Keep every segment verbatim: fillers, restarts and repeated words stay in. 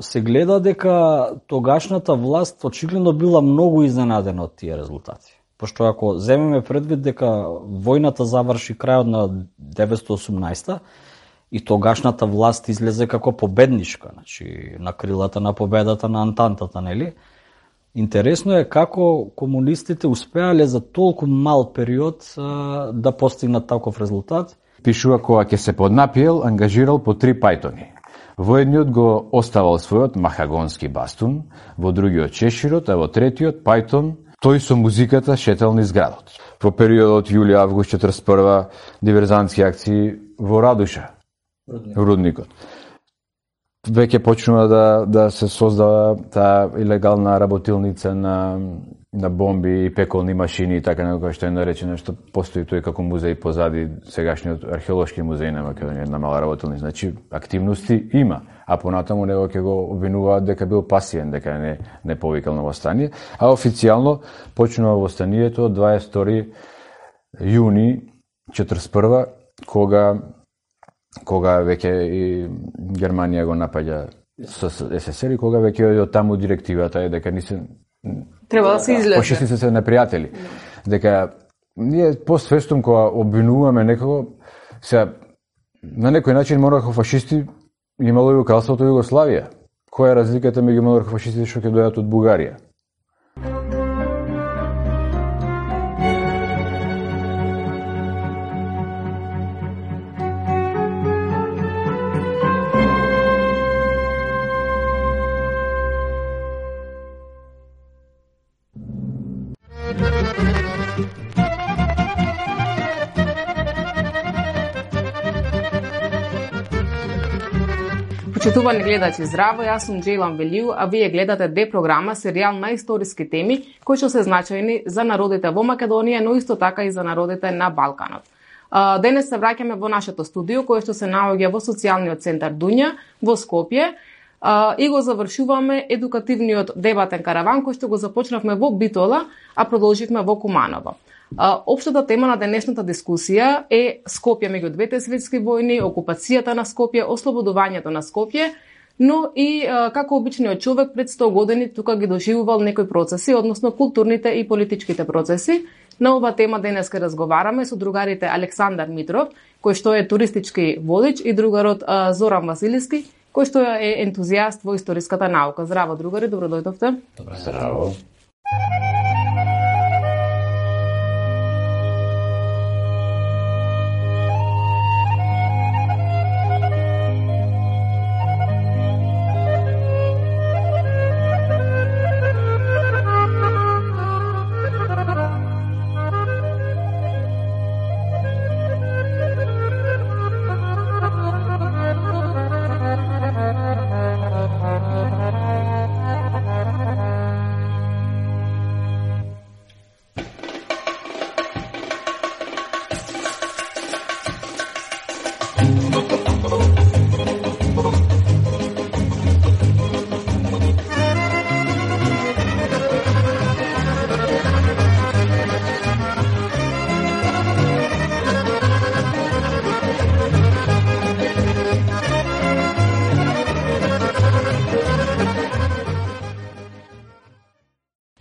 се гледа дека тогашната власт очигледно била многу изненадена од тие резултати. Пошто ако земеме предвид дека војната заврши крајот на деветстотини и осумнаесета и тогашната власт излезе како победничка, значи на крилата на победата на Антантата, нели? Интересно е како комунистите успеале за толку мал период а, да постигнат таков резултат. Пишува кога ќе се поднапиел, ангажирал по три пајтони. Во едниот го оставал својот махагонски бастун, во другиот чеширот, а во третиот пајтон тој со музиката шетал низ градот. Во периодот јули-август четрдесет и прва диверзантски акции во Радуша, Рудникот. Веќе почнува да, да се создава таа илегална работилница на, на бомби и пеколни машини и така некој што е наречено, што постои тој како музеј позади сегашниот археолошки музеј на Македонија, една мала работилница. Значи, активности има, а понатаму него ќе го обвинуваат дека бил пасивен, дека не, не повикал на восстание, а официјално почнува востанието од дваесет и втори јуни четрдесет и прва, кога кога веќе и Германија го напаѓа со СССР и кога веќе од таму директивата е дека не се треба да се излезе. Фашистите се непријатели. Дека ние постфестум кога обвинуваме некого, се на некој начин монархо фашисти имало и во кралството Југославија. Која е разликата меѓу монархо фашистите што ќе дојдат од Бугарија? Почитувани гледачи, здраво, јас сум Джейлан Велиу, а вие гледате Д програма, серијал на историски теми кои што се значајни за народите во Македонија, но исто така и за народите на Балканот. Денес се враќаме во нашето студио, кое што се наоѓа во социјалниот центар Дуња во Скопје и го завршуваме едукативниот дебатен караван кој што го започнавме во Битола, а продолживме во Куманово. Општата тема на денешната дискусија е Скопје меѓу двете светски војни, окупацијата на Скопје, ослободувањето на Скопје, но и како обичниот човек пред сто години тука ги доживувал некои процеси, односно културните и политичките процеси. На ова тема денес ке разговараме со другарите Александар Митров, кој што е туристички водич, и другарот Зоран Василиски, кој што е ентузијаст во историската наука. Здраво, другари, добро дојдовте. Добро, здраво.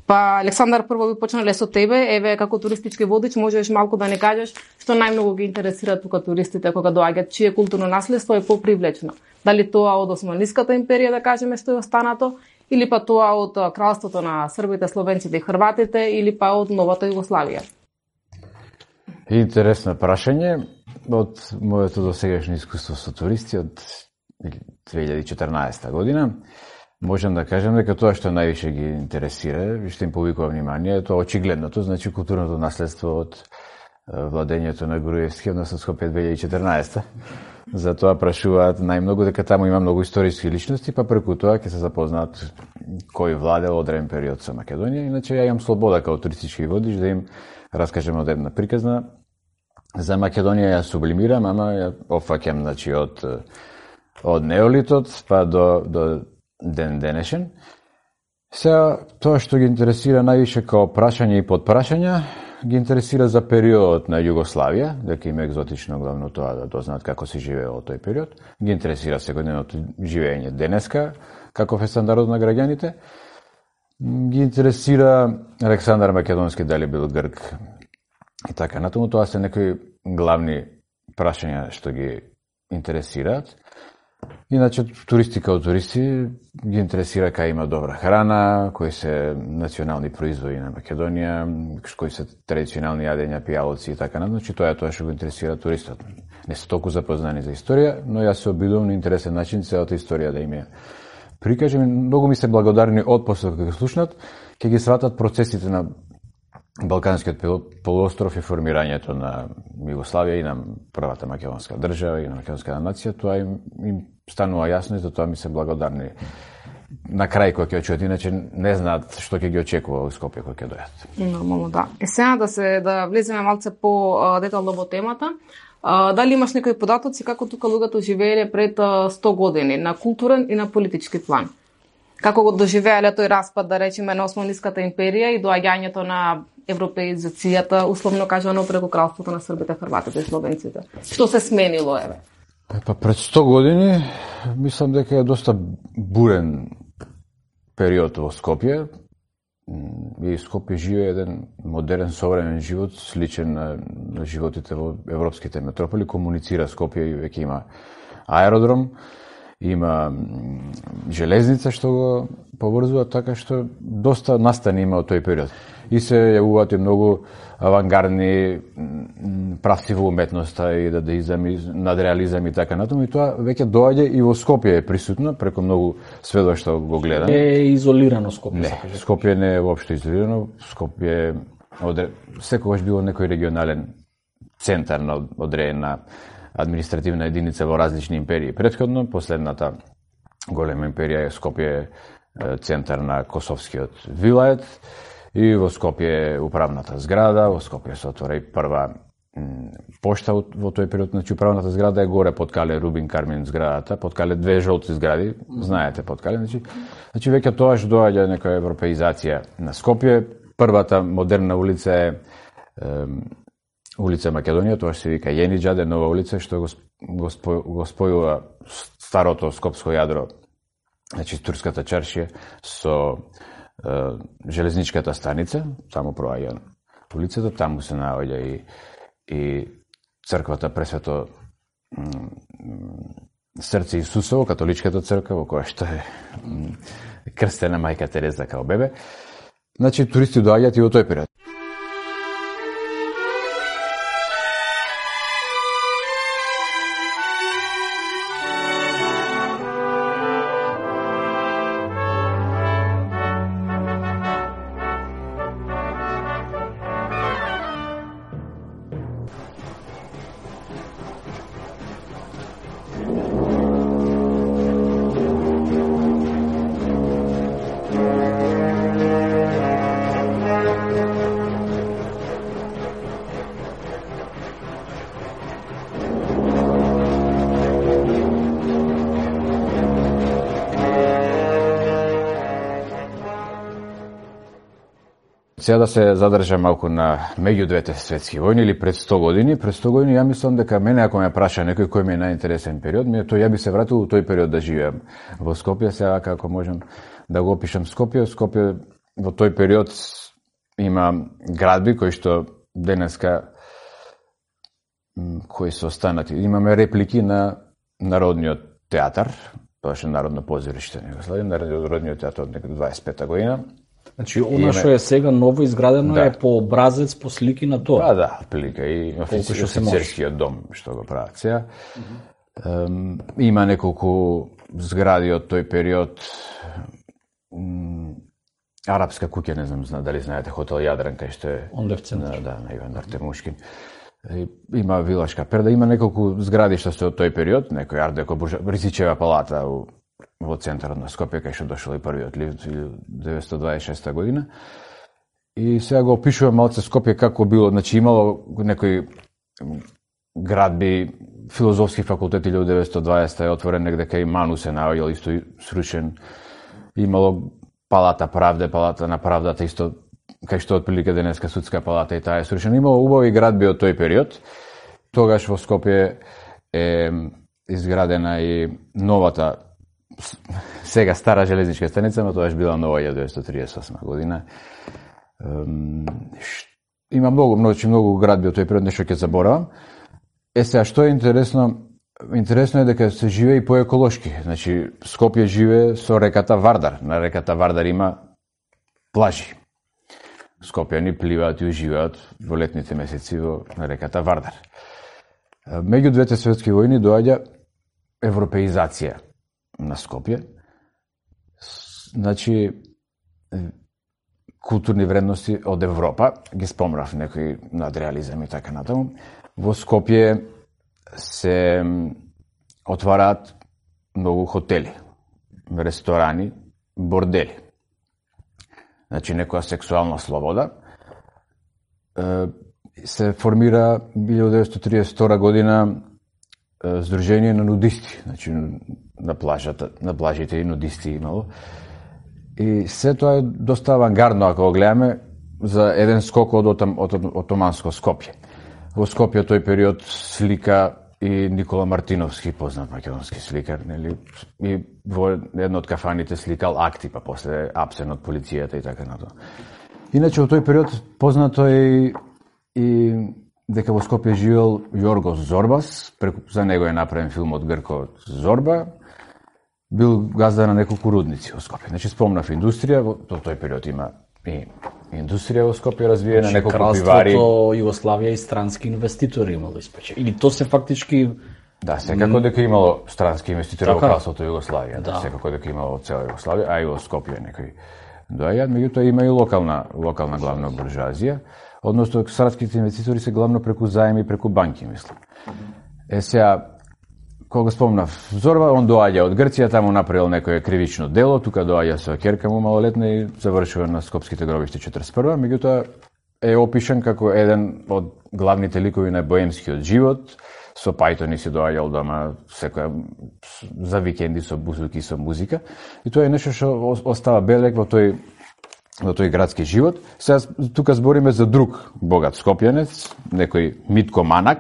Па, Александар, прво би почнале со тебе. Еве, како туристички водич, можеш малку да не кажеш што најмногу ги интересира тука туристите кога доаѓаат, чие културно наследство е попривлечно? Дали тоа од Османлиската империја, да кажеме, што е останато, или па тоа од кралството на србите, словенците и хрватите, или па од новата Југославија? Интересно прашање. Од моето досегашно искуство со туристи од две илјади и четрнаесета година, можам да кажам дека тоа што највише ги интересира и што им повикува внимание е тоа очигледното, значи културното наследство од владењето на Груевски, односно Скопје две илјади и четрнаесета. Затоа прашуваат најмногу дека таму има многу историски личности, па преку тоа ќе се запознаат кој владел одреден период со Македонија. Иначе ја имам слобода како туристички водич да им раскажем од една приказна за Македонија. Ја сублимирам, ама ја опфаќам, значи, од од неолитот па до до ден денешен. Сега, тоа што ги интересира највише као прашање и подпрашања, ги интересира за периодот на Југославија, дека им е екзотично главно тоа да дознаат како се живее во тој период. Ги интересира секојдневното живење денеска, каков е стандардот на граѓаните. Ги интересира Александар Македонски, дали бил грк и така натаму. Тоа се некои главни прашања што ги интересираат. Иначе, туристи као туристи ги интересира кај има добра храна, кои се национални производи на Македонија, кои се традиционални јадења, пијалоци и така натаму. Значи, тоа е тоа што го интересира туристот. Не се толку запознани за историја, но јас се обидувам на интересен начин целата историја да им ја прикажем. Многу ми се благодарни од после кога ги слушнат, ќе ги сватат процесите на Балканскиот полуостров и формирањето на Југославија и на првата македонска држава и на македонската нација. Тоа им, им станува јасно и за тоа ми се благодарни на крај кога ќе очуат, иначе не знаат што ќе ги очекува во Скопје кога ќе дојдат. Нормално, да. Е, сега да се да влеземе малце по детално во темата. А, дали имаш некои податоци како тука луѓето живееле пред сто години на културен и на политички план? Како го доживеале тој распад, да речеме, на Османлиската империја и доаѓањето на европеизацијата, условно кажано, преку кралството на србите, хрватите и словенците? Што се сменило, еве? Па пред сто години, мислам дека е доста бурен период во Скопје. И Скопје живее еден модерен, современ живот, сличен на, на животите во европските метрополи. Комуницира Скопје и веќе има аеродром, има железница што го поврзува, така што доста настани има од тој период. И се јавуваат и многу авангардни правци во уметноста и дадаизам и надреализам и така натаму, и тоа веќе доаѓа и во Скопје е присутно преку многу сведоштва го гледаме. Е изолирано Скопје. Не, Скопје не е воопшто изолирано. Скопје одре... секогаш било некој регионален центар на одредена административна единица во различни империи. Претходно, последната голема империја е Скопје, центар на Косовскиот вилајет, и во Скопје е управната зграда, во Скопје се отвора и прва пошта во тој период. Значи, управната зграда е горе под Кале Рубин Кармин зградата, под Кале две жолти згради, знаете под Кале. Значи, значи веќе тоаш доаѓа некоја европеизација на Скопје. Првата модерна улица е, е улица Македонија, тоа се вика Јениџаде, нова улица, што го, го, спо, го спојува старото скопско јадро, значи турската чаршија, со е, железничката станица, таму проаѓа улицата, таму се наоѓа и, и црквата Пресвето Срце Исусово, католичката црква, во која што е крстена мајка Тереза као бебе. Значи, туристи доаѓаат и во тој период. Сега да се задржам малку на меѓу двете светски војни или пред сто години. Пред сто години ја мислам дека мене, ако ме праша некој кој ми е најинтересен период, ми е тој, ја би се вратил во тој период да живеам во Скопје. Сега како можам да го опишам Скопје, Скопје во тој период има градби кои што денеска кои се останати. Имаме реплики на Народниот театар, тоа што Народно позориште него следи, Народниот театар од дваесет и пета година. Значи, она што е сега ново изградено, да, е по образец, по слики на тоа. Па да, отприлика и офицерскиот дом што го прават сега. Mm-hmm. Има неколку згради од тој период. Арапска куќа, не знам дали знаете, хотел Јадран, кај што е онде в центар. Да, на Иван Артемушкин. Има Вилашка перда, има неколку згради што се од тој период, некој ардеко Ризичева палата у во центарот на Скопје, кај што дошол и првиот лив деветстотини дваесет и шеста година. И сега го опишувам малце Скопје како било, значи имало некои градби, филозофски факултет илјада деветстотини и дваесета е отворен негде кај Ману се наоѓал, исто срушен. Имало Палата правде, Палата на правдата, исто кај што отприлика денеска судска палата и таа е срушена. Имало убави градби од тој период. Тогаш во Скопје е изградена и новата сега стара железничка станица, но тоа е била нова илјада деветстотини триесет и осма година. Има многу, многу, многу градби од тој период, нешто ќе заборавам. Е сега, што е интересно? Интересно е дека се живее и поеколошки. Значи, Скопје живее со реката Вардар. На реката Вардар има плажи. Скопјани пливаат и уживаат во летните месеци во на реката Вардар. Меѓу двете светски војни доаѓа европеизација на Скопје. Значи, културни вредности од Европа, ги спомнав некои надреализам и така натаму. Во Скопје се отвараат многу хотели, ресторани, бордели. Значи, некоја сексуална слобода. Се формира илјада деветстотини триесет и втора година Сдружение на нудисти, значи на плажата, на плажите и нудисти имало. И се тоа е доста авангардно, ако го гледаме, за еден скок од отоманско Скопје. Во Скопје тој период слика и Никола Мартиновски, познат македонски сликар, нели? И во една од кафаните сликал акти, па после апсен од полицијата и така натаму. Иначе во тој период познато е и дека во Скопје живел Јоргос Зорбас, преку, за него е направен филм од Грко Зорба, бил газда на неколку рудници во Скопје. Значи, спомнав индустрија, во тој период има и индустрија во Скопје развиена, значи, неколку пивари. Кралството Југославија и странски инвеститори имало испече. Или то се фактички... Да, секако дека имало странски инвеститори во кралството Југославија, да. Секако дека имало во цела Југославија, а и во Скопје некои доаѓаат, меѓутоа има и локална, локална главна буржуазија. Односно, странските инвеститори се главно преку заеми и преку банки, мислам. Е, сега, кога спомнав Зорба, он доаѓа од Грција, таму направил некое кривично дело, тука доаѓа со ќерка му малолетна и завршува на скопските гробишти четридесет и прва, меѓутоа е опишан како еден од главните ликови на боемскиот живот, со пајтони си доаѓал дома секоја за викенди со бузуки, со музика, и тоа е нешто што остава белег во тој во тој градски живот. Сега тука збориме за друг богат скопјанец, некој Митко Манак,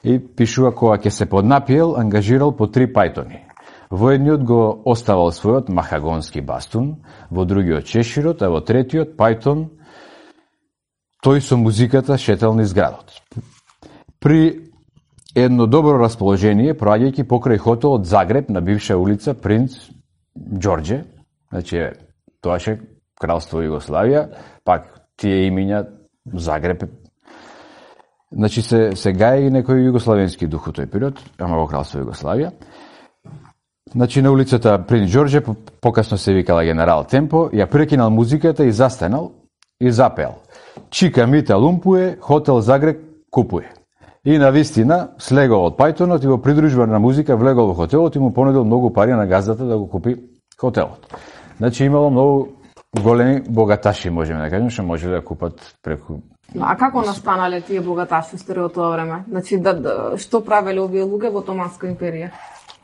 и пишува кога ќе се поднапиел, ангажирал по три пајтони. Во едниот го оставал својот махагонски бастун, во другиот чеширот, а во третиот пајтон тој со музиката шетел низ градот. При едно добро расположение, проаѓајќи покрај хотелот Загреб на бивша улица Принц Ѓорѓе, значи тоаше Кралство Југославија, пак тие имиња Загреб. Значи се се гаи некој југославенски дух во тој период, ама во Кралство Југославија. Значи на улицата Принц Ѓорѓе покасно се викала Генерал Темпо, ја прекинал музиката и застанал и запеал: Чика Мита лумпуе, хотел Загреб купуе. И на вистина слегол од пајтонот и во придружба на музика влегол во хотелот и му понудил многу пари на газдата да го купи хотелот. Значи имало многу големи богаташи, можеме да кажеме, што можеле да купат преку... А како настанале тие богаташи во тоа време? Значи, да, да, што правеле овие луѓе во Отоманска империја?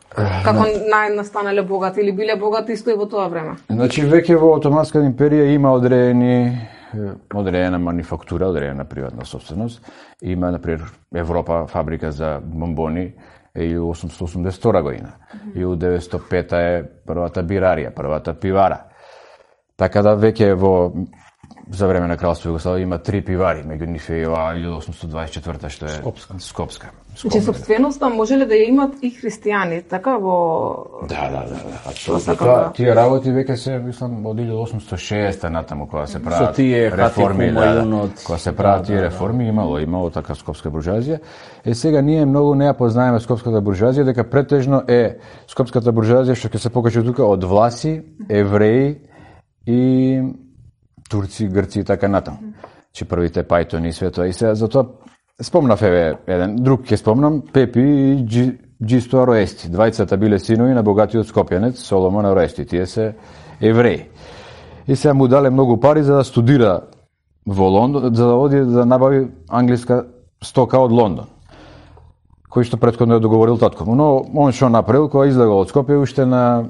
Како најнастанале богати или биле богати исто и во тоа време? Значи, веќе во Отоманска империја има одредени одредена манифактура, одредена приватна собственост. Има, например, Европа фабрика за бомбони е илјада осумстотини осумдесет и втора година. илјада деветстотини и пета е првата бирарија, првата пивара. Така да веќе во за време на Кралство Југославија има три пивари, меѓу нив е илјада осумстотини дваесет и четврта што е Скопска. Скопска. Значи собственоста можеле да ја имат и христијани, така во... Да, да, да, да. Апсолутно. Тоа, тие работи веќе се, мислам, од илјада осумстотини и шеста натаму кога се прават реформи, да, да, кога се прават тие реформи, имало, имало така скопска буржуазија. Е сега ние многу не ја познаеме скопската буржуазија, дека претежно е скопската буржуазија што ќе се покаже тука од власи, евреи и турци, грци и така натаму. Че првите пајтони и све тоа. И сега затоа спомнав еве еден друг ќе спомнам, Пепи и Джи, Джисто Ароести. Двајцата биле синови на богатиот скопјанец Соломон Ароести. Тие се евреи. И сега му дале многу пари за да студира во Лондон, за да оди да набави англиска стока од Лондон, кој што претходно е договорил татко му. Но он што направил кога излегол од Скопје уште на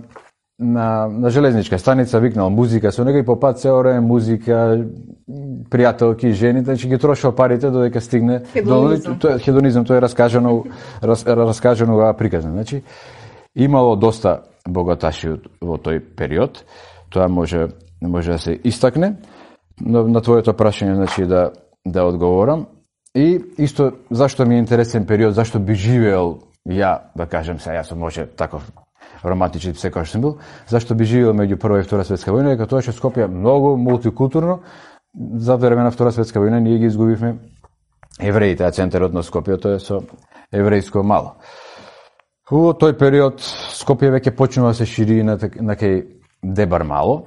на на железничка станица, викнал музика со него и по пат цело време музика, пријателки, жени, значи ги трошил парите додека стигне хедонизам. до тоа хедонизам, тоа е раскажано рас, раскажано ова приказна. Значи имало доста богаташи во тој период. Тоа може може да се истакне. Но на твоето прашање, значи, да да одговорам. И исто зашто ми е интересен период, зашто би живеел ја, да кажем се, јас сум може таков романтичен секој што сум бил, зашто би живеел меѓу Прва и Втора светска војна, дека тоа што Скопје многу мултикултурно. За време на Втора светска војна ние ги изгубивме евреите, а центарот на Скопје тоа е со еврејско мало. Во тој период Скопје веќе почнува да се шири на, на кај Дебар мало.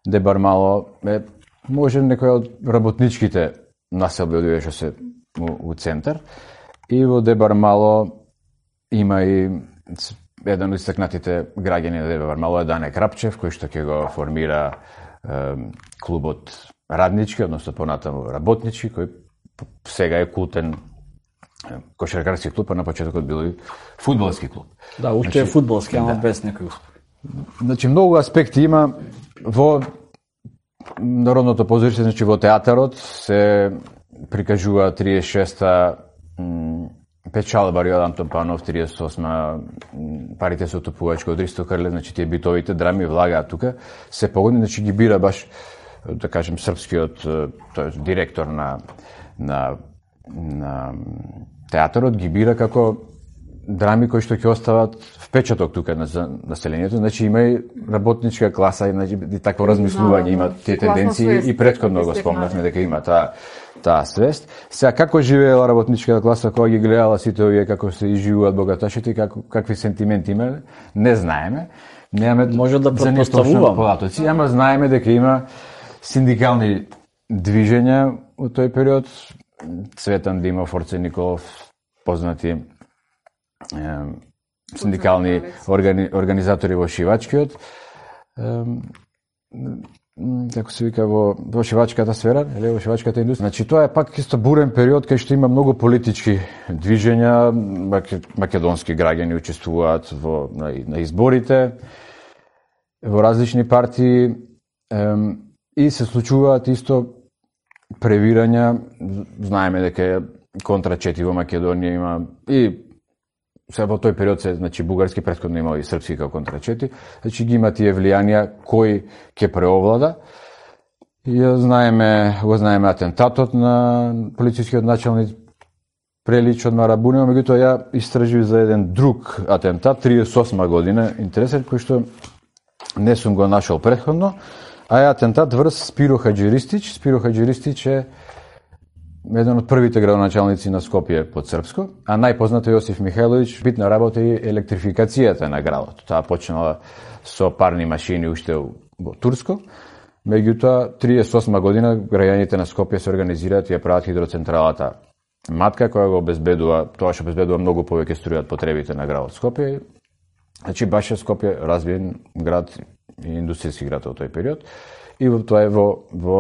Дебар мало е може некој од работничките населби од што се у, у центар. И во Дебар мало има и еден од истакнатите граѓани на Дебар мало е Дане Крапчев, кој што ќе го формира е, клубот раднички, односно понатаму работнички, кој сега е култен кошаркарски клуб, а на почетокот бил и фудбалски клуб. Да, уште е фудбалски, ама да. Без некој успех. Значи, многу аспекти има во народното позориште, значи во театарот се прикажува триесет и шеста печалба Рио Антон Панов, триесет и осма парите се отопувачко од Ристо Крле, значи тие битовите драми влагаат тука, се погодни, значи ги бира баш, да кажем, српскиот тој директор на на на театарот ги бира како драми кои што ќе остават впечаток тука на населението, значи има и работничка класа, и, значи, и такво размислување, има тие тенденции и претходно го спомнавме дека има таа таа свест. Сега како живеела работничката класа кога ги гледала сите овие како се изживуваат богаташите, како какви сентименти има, не знаеме. Немаме може да претпоставувам податоци, ама знаеме дека има синдикални движења во тој период. Цветан Димов, Орце Николов, познати е, синдикални органи, организатори во шивачкиот, е, како се вика, во, во шивачката сфера, или во шивачката индустрија. Значи, тоа е пак исто бурен период кај што има многу политички движења, македонски граѓани учествуваат во, на, на изборите, во различни партии, е, и се случуваат исто превирања. Знаеме дека контрачети во Македонија има и се во тој период се, значи, бугарски, претходно имало и српски како контрачети, значи ги има тие влијанија кој ќе преовлада. И знаеме, го знаеме атентатот на полицискиот началник Прелич од Марабунево, меѓутоа ја истражив за еден друг атентат, триесет и осма година, интересен, кој што не сум го нашол претходно, а е атентат врз Спиро Хаџиристич. Спиро Хаџиристич е еден од првите градоначалници на Скопје под српско, а најпознато е Јосиф Михајловиќ, битна работа и електрификацијата на градот. Таа почнала со парни машини уште во Турско. Меѓутоа, триесет и осма година граѓаните на Скопје се организираат и ја прават хидроцентралата Матка, која го обезбедува, тоа што обезбедува многу повеќе струја од потребите на градот Скопје. Значи, баш е Скопје развиен град и индустријски град во тој период. И тоа е во, во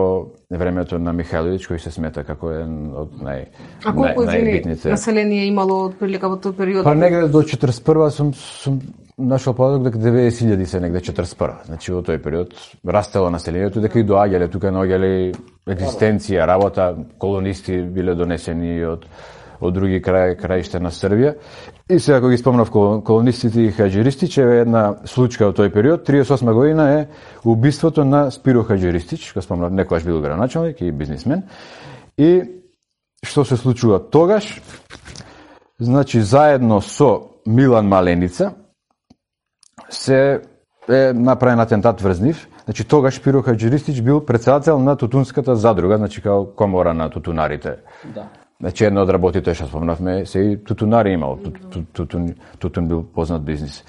времето на Михајловиќ, кој се смета како еден од нај, а колку нај, најбитните... население имало од прилика во тој период? Па негде до четиресет и прва сум, сум нашол податок дека деветдесет илјади се негде четиресет и прва. Значи во тој период растело населението, дека и доаѓале тука, наоѓале екзистенција, работа, колонисти биле донесени од од други крај, краишта на Србија. И сега, ако ги спомнав колонистите и Хаџиристич, е една случка од тој период, триесет и осма година е убиството на Спиро Хаџиристич, кој спомнав, некојаш бил градоначалник и бизнисмен. И што се случува тогаш? Значи, заедно со Милан Маленица се е направен атентат врз нив. Значи, тогаш Спиро Хаџиристич бил председател на Тутунската задруга, значи као комора на тутунарите. Да. Значи, една од работите што спомнавме, се и тутунари имал. Тутун, тутун бил познат бизнис.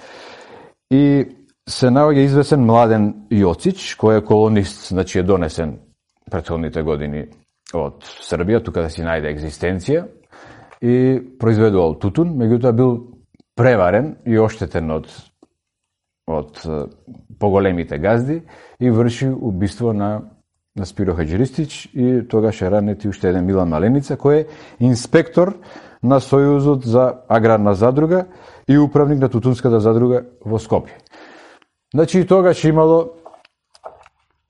И се наоѓа известен Младен Јоцич, кој е колонист, значи е донесен претходните години од Србија, тука да си најде екзистенција, и произведувал тутун, меѓутоа бил преварен и оштетен од од поголемите газди и врши убиство на на Спиро Хаџиристич и тогаш е ранет и уште еден Милан Маленица, кој е инспектор на Сојузот за аграрна задруга и управник на Тутунската задруга во Скопје. Значи и тогаш имало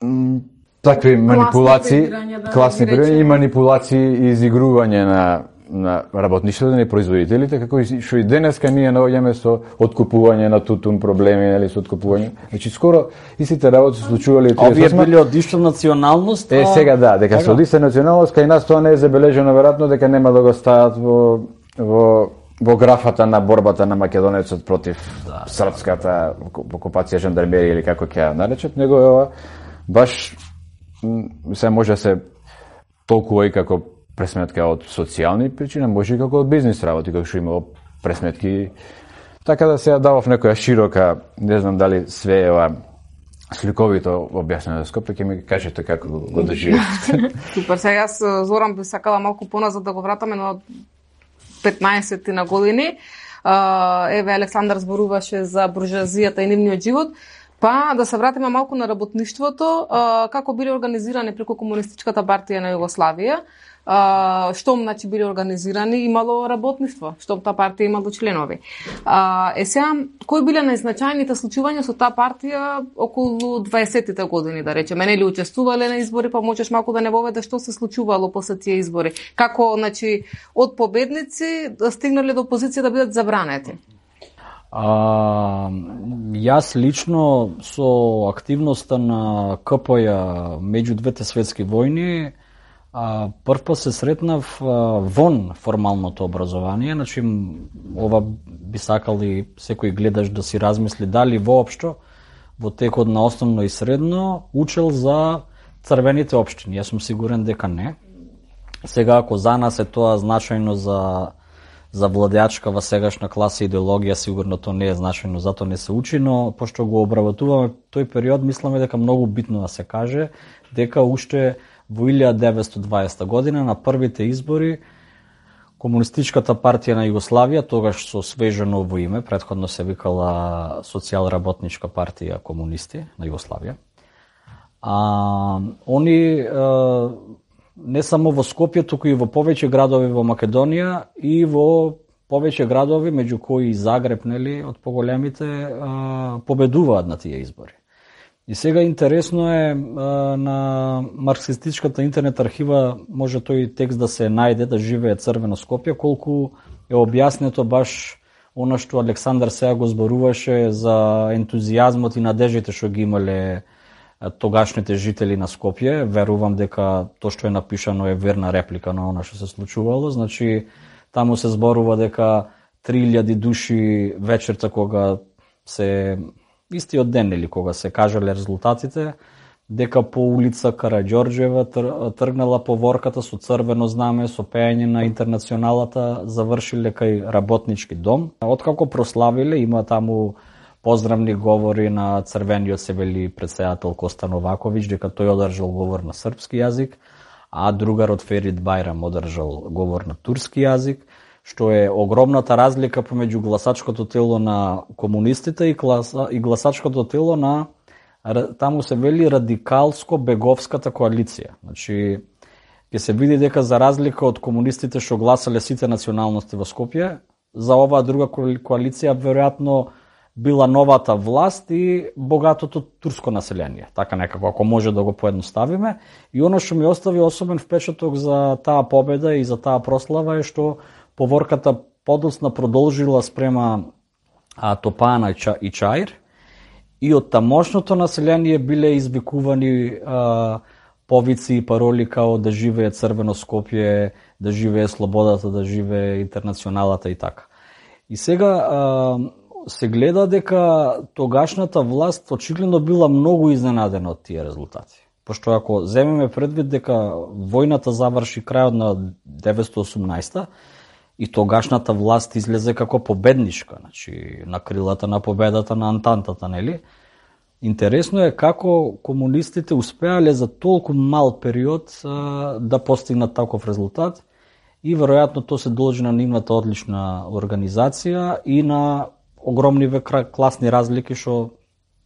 м, такви манипулации, класни превирања и манипулации и изигрување на на работништвото и производителите, како и што и денеска ние наоѓаме со откупување на тутун проблеми, нели, со откупување. Значи скоро истите работи се случувале. Овие биле од ишта националност. Е, сега да, дека со ишта националност кај нас тоа не е забележено, веројатно дека нема да го стават во во во графата на борбата на македонецот против да, српската окупација, жандармерија или како ќе ја наречат, него е ова баш се може се толкува и како пресметка од социјални причини, може и како од бизнис работи, како што имало пресметки. Така да се ја давав некоја широка, не знам дали све е ова сликовито објаснено за Скопје, ќе ми кажете како го доживеете. Супер, сега јас Зоран би сакала малку поназад да го вратаме на петнаесетти на години. Еве Александар зборуваше за буржуазијата и нивниот живот. Па да се вратиме малку на работништвото, како биле организирани преку Комунистичката партија на Југославија. Штом значи биле организирани, имало работништво, штом таа партија имало членови. Е сега, кои биле најзначајните случувања со таа партија околу дваесеттите години, да речеме, нели учествувале на избори, па можеш малку да не воведеш што се случувало после тие избори? Како, значи, од победници да стигнале до позиција да бидат забранети? А, јас лично со активноста на ка пе ја меѓу двете светски војни а, првпат се сретнав а, вон формалното образование, значи ова би сакали секој гледаш да си размисли дали воопшто во текот на основно и средно учел за црвените општини. Јас сум сигурен дека не. Сега ако за нас е тоа значајно за за владеачка во сегашна класа идеологија, сигурно тоа не е значајно, затоа не се учи, но пошто го обработуваме тој период, мисламе дека многу битно да се каже дека уште во илјада деветстотини и дваесета година на првите избори Комунистичката партија на Југославија, тогаш со свеже ново име, претходно се викала Социјалработничка партија комунисти на Југославија. А они а, не само во Скопје, туку и во повеќе градови во Македонија и во повеќе градови, меѓу кои и Загреб, нели, од поголемите, победуваат на тие избори. И сега интересно е, на марксистичката интернет архива може тој текст да се најде, да живее црвено Скопје, колку е објаснето баш она што Александар сега го зборуваше за ентузијазмот и надежите што ги имале тогашните жители на Скопје. Верувам дека тоа што е напишано е верна реплика на она што се случувало. Значи, таму се зборува дека три илјади души вечерта кога се истиот ден или кога се кажале резултатите, дека по улица Караѓорџева тргнала поворката со црвено знаме, со пеење на Интернационалата, завршиле кај Работнички дом. Откако прославиле, има таму поздравни говори на црвениот се вели претседател Коста Новаковиќ, дека тој одржал говор на српски јазик, а другарот Ферит Бајрам одржал говор на турски јазик, што е огромната разлика помеѓу гласачкото тело на комунистите и, гласа, и гласачкото тело на, таму се вели, радикалско-беговската коалиција. Значи, ќе се види дека за разлика од комунистите што гласале сите националности во Скопје, за оваа друга коалиција веројатно била новата власт и богатото турско население. Така некако, ако може да го поедноставиме. И оно што ми остави особен впечаток за таа победа и за таа прослава е што поворката подоцна продолжила спрема а, Топана и Чаир и од тамошното население биле извикувани а, повици и пароли као да живее црвено Скопје, да живее слободата, да живее Интернационалата и така. И сега а, се гледа дека тогашната власт очигледно била многу изненадена од тие резултати. Пошто ако земеме предвид дека војната заврши крајот на деветстотини и осумнаесета и тогашната власт излезе како победничка, значи на крилата на победата на Антантата, нели? Интересно е како комунистите успеале за толку мал период а, да постигнат таков резултат и веројатно тоа се должи на нивната одлична организација и на огромни класни разлики што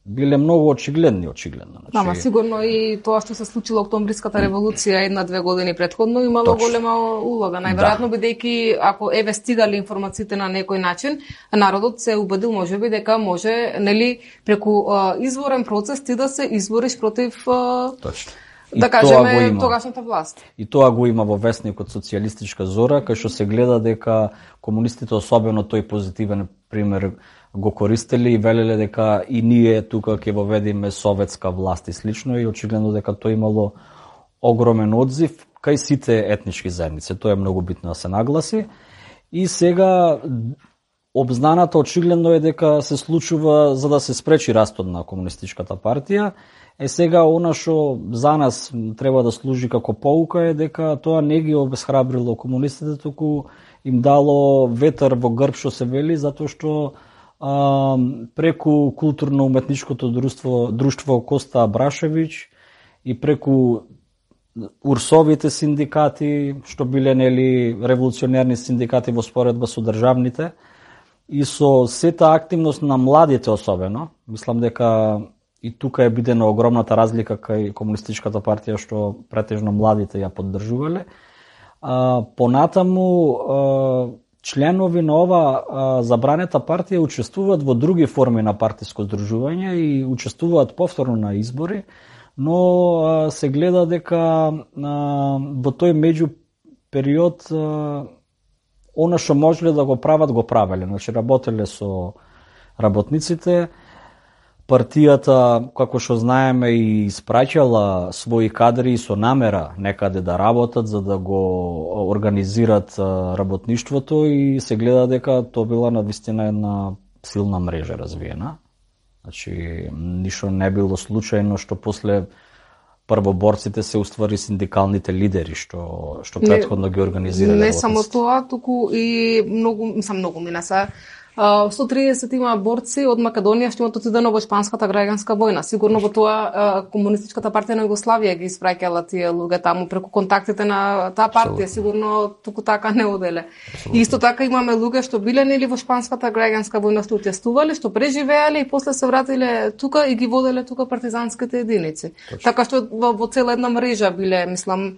биле многу очигледни, очигледно. Значи... Ама сигурно и тоа што се случило Октомбриската револуција една-две години претходно имало Точно. голема улога. Најверојатно да. бидејќи ако еве стигали информациите на некој начин, народот се убедил можеби дека може, нели, преку а, изворен процес ти да се извориш против а, Точно. да кажеме тогашната власт. И тоа го има во весникот Социјалистичка зора, кај што се гледа дека комунистите, особено тој позитивен пример, го користеле и велеле дека и ние тука ќе воведиме советска власт и слично, и очигледно дека тоа имало огромен одзив кај сите етнички заедници. Тоа е многу битно да се нагласи. И сега обзнаната очигледно е дека се случува за да се спречи растот на комунистичката партија. Е сега она што за нас треба да служи како поука е дека тоа не ги обесхрабрило комунистите, туку им дало ветер во грб, што се вели, затоа што а, преку културно-уметничкото друштво, друштво Коста Абрашевич и преку урсовите синдикати, што биле нели револуционерни синдикати во споредба со државните, и со сета активност на младите особено, мислам дека и тука е бидена огромната разлика кај комунистичката партија што претежно младите ја поддржувале. А, понатаму а, членови на ова а, забранета партија учествуваат во други форми на партиско здружување и учествуваат повторно на избори, но а, се гледа дека а, во тој меѓу период а, она што можеле да го прават, го правеле. Значи, работеле со работниците. Партијата, како што знаеме, и испраќала своји кадри со намера некаде да работат, за да го организират работништвото, и се гледа дека тоа била навистина една силна мрежа развиена. Значи, ништо не било случајно што после првоборците се уствари синдикалните лидери што што претходно ги организирале. Не само тоа, туку и многу, мислам многу минаса. сто триесет има борци од Македонија што имаат отидено во Шпанската граѓанска војна. Сигурно во тоа комунистичката партија на Југославија ги испраќала тие луѓе таму преку контактите на таа партија. Сигурно туку така не оделе. И исто така имаме луѓе што биле нели во Шпанската граѓанска војна, што учествувале, што преживеале и после се вратиле тука и ги воделе тука партизанските единици. Точно. Така што во, во цела една мрежа биле, мислам,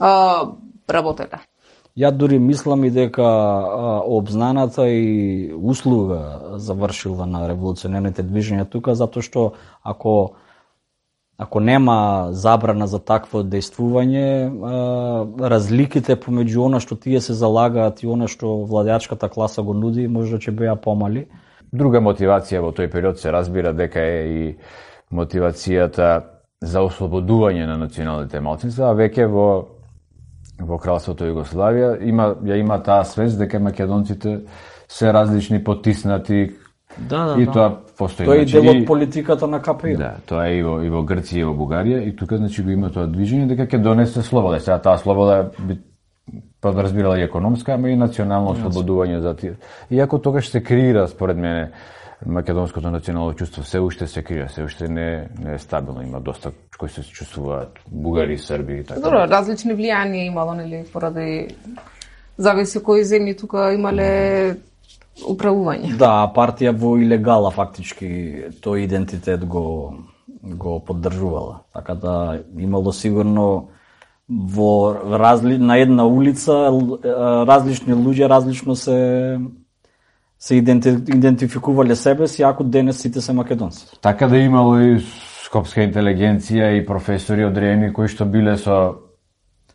а, работеле. Ја дури мислам и дека а, обзнаната и услуга завршила на револуционерните движења тука, затоа што ако ако нема забрана за такво дејствување, а, разликите помеѓу она што тие се залагаат и она што владеачката класа го нуди, можда ќе беа помали. Друга мотивација во тој период се разбира дека е и мотивацијата за ослободување на националните малцинства, а веќе во во кралството Југославија има ја има таа свест дека македонците се различни, потиснати. Да, да, и да. тоа постои. Тоа е значи, дел од политиката на ка пе и. Да, тоа е и во, и во Грција и во Бугарија, и тука значи го има тоа движење дека ќе донесе слобода. Сега таа слобода би подразбирала и економска, ама и национално ослободување за тие. Иако тогаш се креира, според мене, македонското национално чувство се уште се крија, се уште не, не е стабилно, има доста кои се чувствуваат бугари, срби и така. Добро, различни влијанија имало, нели, поради зависи кои земји тука имале управување. Да, партија во илегала фактички тој идентитет го го поддржувала. Така да имало сигурно во разли... на една улица различни луѓе различно се се идентификувале себе си, ако денес сите се македонци. Така да имало и скопска интелигенција и професори одредени кои што биле со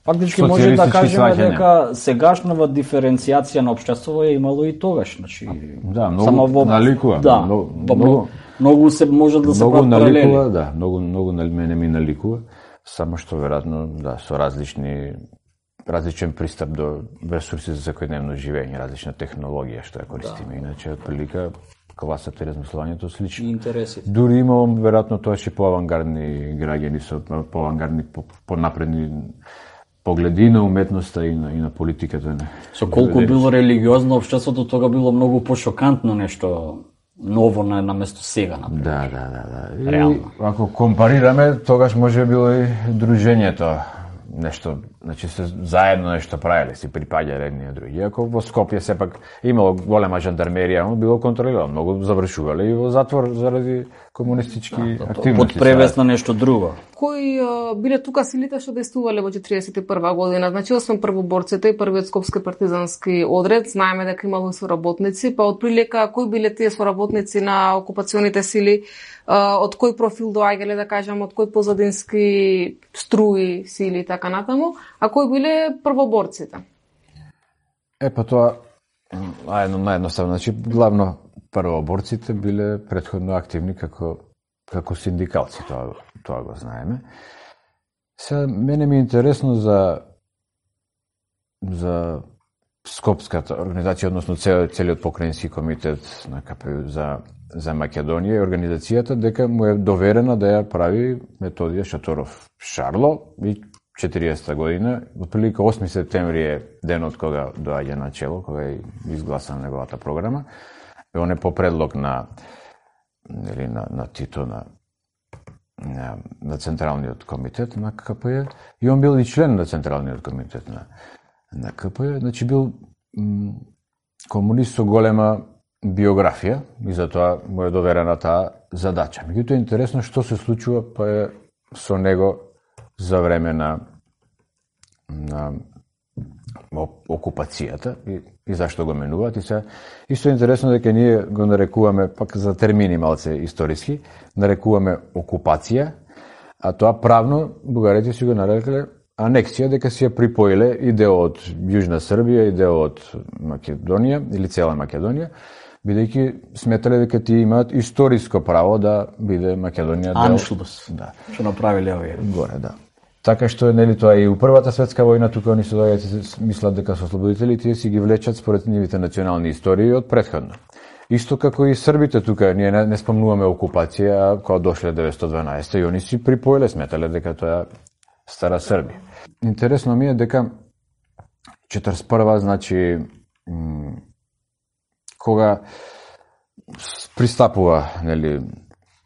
фактички може да кажеме дека сегашнава диференцијација на општеството е имало и тогаш, значи да, многу само во наликува, да, многу, многу, многу се може да се прават паралели. Да, многу многу мене ми наликува, само што веројатно да со различни различен пристап до ресурси за секојдневно живење, различна технологија што ја користиме, да. Иначе отприлика класата и размислувањето слично. Интереси. Дури имам веројатно тоа што поавангардни граѓани со поавангардни понапредни погледи на уметноста и на, и на политиката. Со колку било религиозно општеството, тога било многу пошокантно нешто ново на, на место сега, например. Да, да, да, да. Реално. И, ако компарираме, тогаш може било и дружењето нешто, значи се заедно нешто правеле, си припаѓале едни од други. Иако во Скопје сепак имало голема жандармерија, но било контролирано, многу завршувале и во затвор заради комунистички да, активности. Под превес на нешто друго. Кои а, биле тука силите што действувале во четириесет и прва година? Значи, освен првоборците и првиот скопски партизански одред, знаеме дека имало соработници, па отприлика кои биле тие соработници на окупационите сили, а, од кој профил доаѓале, да кажам, од кој позадински струи, сили и така натаму, а кои биле првоборците? Е, па тоа, ајно, наједноставно, значи, главно првоборците биле претходно активни како како синдикалци, тоа, тоа го знаеме. Се, мене ми е интересно за за Скопската организација, односно цел, целиот покрајински комитет на КПУ за, за Македонија и организацијата, дека му е доверена да ја прави Методија Шаторов Шарло и четириесета година, отприлика осми септември е денот кога доаѓа на чело, кога е изгласана неговата програма. И он е по предлог на или на, на Тито, на, на, на Централниот комитет на КПЈ, и он бил и член на Централниот комитет на, на КПЈ, значи бил м, комунист со голема биографија и затоа му е доверена таа задача. Меѓутоа е интересно што се случува па е со него за време на, на окупацијата и, и зашто го менуваат. И се исто е интересно дека ние го нарекуваме, пак за термини малце историски, нарекуваме окупација, а тоа правно бугарите си го нарекле анексија, дека си ја припоиле и дел од Јужна Србија и дел од Македонија или цела Македонија, бидејќи сметале дека тие имаат историско право да биде Македонија дел. Аншлус. Да. Што направиле овие? Горе, да. Така што е, нели, тоа и у Првата светска војна, тука они се доаѓаат и мислат дека се ослободители, тие си ги влечат според нивите национални истории од претходно. Исто како и србите тука, ние не, не спомнуваме окупација, а кога дошле деветстотини и дванаесета и они си припоиле, сметале дека тоа е стара Србија. Интересно ми е дека четиридесет и прва, значи, м, кога пристапува, нели,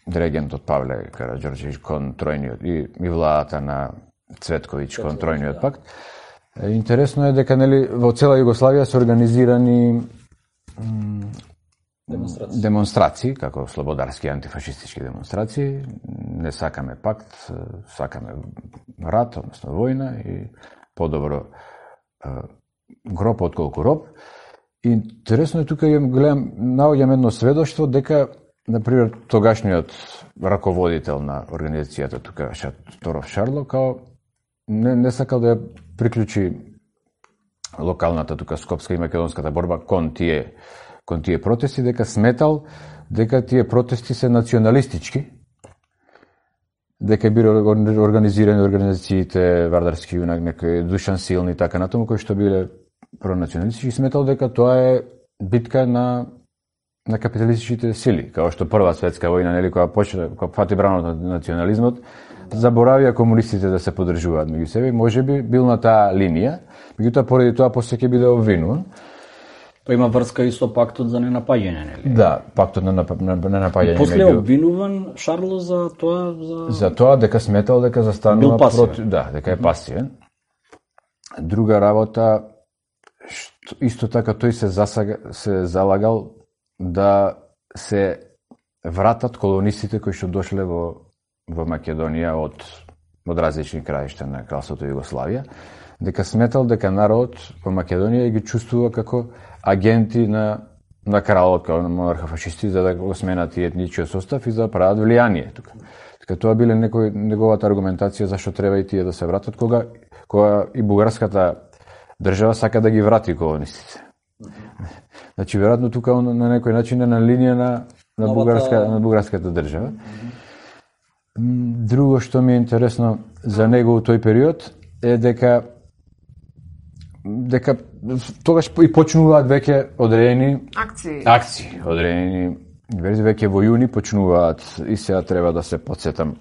регентот Павле Караѓорđević кон тројниот и, и владата на Цветковиќ кон тројниот пакт. Интересно е дека, нели, во цела Југославија се организирани демонстрации. демонстрации, како слободарски антифашистички демонстрации. Не сакаме пакт, сакаме рат, односно војна и подобро гроб отколку роб. Интересно е тука ја гледам, наоѓам едно сведоштво дека, например, тогашниот раководител на организацијата тука, Шаторов Шарло, као не, не сакал да ја приклучи локалната тука скопска и македонската борба кон тие кон тие протести, дека сметал дека тие протести се националистички, дека биле организирани организациите Вардарски юнак, некои Душан Силни и така натаму, кои што биле пронационалистички, сметал дека тоа е битка на на капиталистичките сили, као што Прва светска војна, нели, кога почна, кога фати бранот на национализмот, заборавија комунистите да се поддржуваат меѓу себе, можеби бил на таа линија, меѓутоа поради тоа после ќе биде обвинуван. Тоа има врска и со пактот за ненапаѓање, нели? Да, пактот на ненапаѓање. После меѓу... обвинуван Шарло за тоа за за тоа дека сметал дека застанува против, да, дека е пасивен. Друга работа, што, исто така тој се засага, се залагал да се вратат колонистите кои што дошле во во Македонија од од различни краишта на кралството Југославија, дека сметал дека народ во Македонија ги чувствува како агенти на на кралот, како на монарха-фашисти, за да го сменат и етничкиот состав и за да прават влијание тука. Така тоа биле некој неговата аргументација зашто треба и тие да се вратат, кога кога и бугарската држава сака да ги врати колонистите. Значи, веројатно тука он на некој начин е на линија на на бугарска на бугарската држава. Друго што ми е интересно за него во тој период е дека дека тогаш и почнуваат веќе одредени акции. Акции, одредени верзи веќе во јуни почнуваат и сега треба да се потсетам.